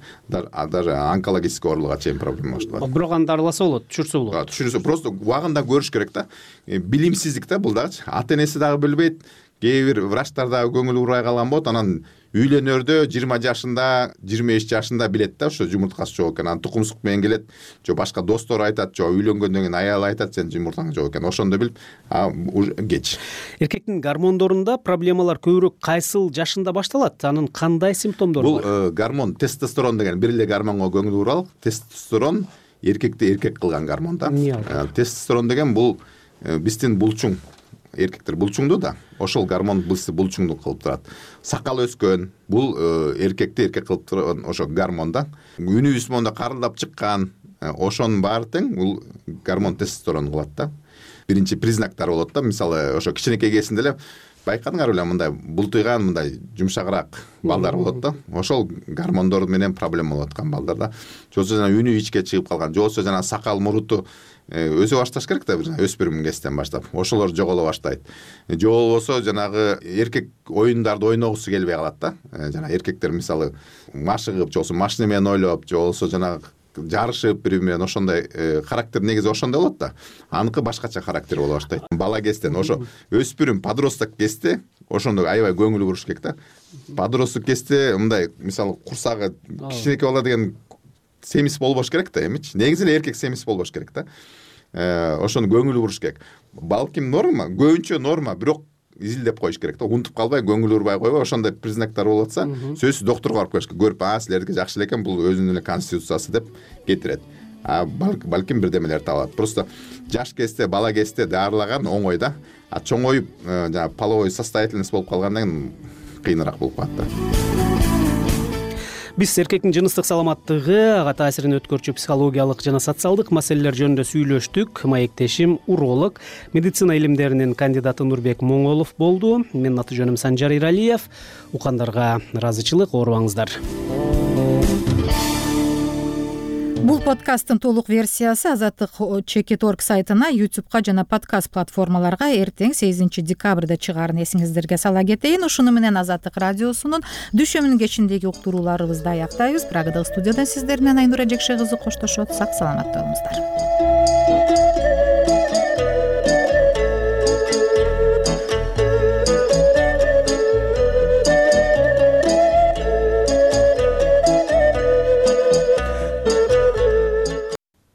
Даже онкологический оорулууга чейин проблема башталат. Бирок аны дарыласа болот, түшүрсө болот. Түшүрсө, просто убагында көрүш керек да. Билимсиздик да бул дагычы. Ата-энеси дагы билбейт. Кээ бир врачтар дагы көңүл бурбай калган болот. Анан үйлөнөрдө 20 жашында, 23 жашында билет да, ошо жумурткасы жок экен. Анан тукумсук менен келет, же башка достору айтат, же үйлөнгөндөн кийин аялы айтат, сен жумуртаң жок экен. Ошондо билип, кеч. Эркектин гормондорунда проблемалар көбүрөөк кайсыл жашында башталат? Анын кандай симптомдору бар? Бул гормон тестостерон деген бир эле гормонго көңүл буралык. Тестостерон эркекти эркек кылган гормон да. Тестостерон деген бул биздин булчуң. Эркектер булчуңду да, ошол гормон бизди булчуңду кылып турат. Сакал өскөн, бул эркекти эркек кылып турган ошо гормон да. Үнүбүз монда карылдап чыккан, ошонун баары тең бул гормон тестостерон кылат да. Биринчи признактар болот да, мисалы ошо кичинекей кезинде эле байкадыңар беле, мындай бултуйган, мындай жумшагыраак балдар болот да. Ошол гормондор менен проблема болуп аткан балдарда. Же болбосо жана үнү ичке чыгып калган, же болбосо жана сакал муруту өзө башташ керек да, өспүрүм кезден баштап. Ошолор жоголо баштайт. Же болбосо жанагы эркек оюндарды ойногусу келбей калат да. Жана эркектер мисалы машыгып, же болбосо машина менен ойлоп, же болбосо жанагы жарышып бири менен ошондой характер негизи ошондой болот да. Аныкы башкача характер боло баштайт. Бала кезден ошо өспүрүм подросток кезде ошондой аябай көңүл буруш керек да. Подросток кезде мындай мисалы курсагы кичинекей бала деген семиз болбош керек да, эмичи. Негизи эле эркек семиз болбош керек да. Ошону көңүл буруш керек. Балким норма, көбүнчө норма, бирок изилдеп коюш керек да. Унутуп калбай, көңүл бурбай койбой, ошондой признактар болуп атса, сөзсүз доктурга барып коюш керек. Көрүп, силердики жакшы элекен, бул өзүнүн эле конституциясы деп кетирет. Балким бирдемелер табылат. Просто жаш кезде, бала кезде дарылаган оңой да. Чоңоюп, жана половой состоятельность болуп калгандан кийин кыйыныраак болуп калат да. Биз эркектин жыныстык саламаттыгы, ага таасирин өткөрчү психологиялык жана социалдык маселелер жөнүндө сүйлөштүк. Маектешим уролог, медицина илимдеринин кандидаты Нурбек Моңолов болду. Менин аты жөнүм Санжар Иралиев. Укандарга ыраазычылык, оорубаңыздар. Бул подкасттын толук версиясы Азаттык.org сайтына, YouTube'га жана подкаст платформаларга эртең 8 декабрда чыгаарын эсиңиздерге сала кетейин. Ушуну менен Азаттык радиосунун дүшөмүнүн кечиндеги уктурууларыбызды аяктайбыз. Прагадагы студиядан сиздер менен Айнура Жекше кызы коштошот. Сак саламат болуңуздар.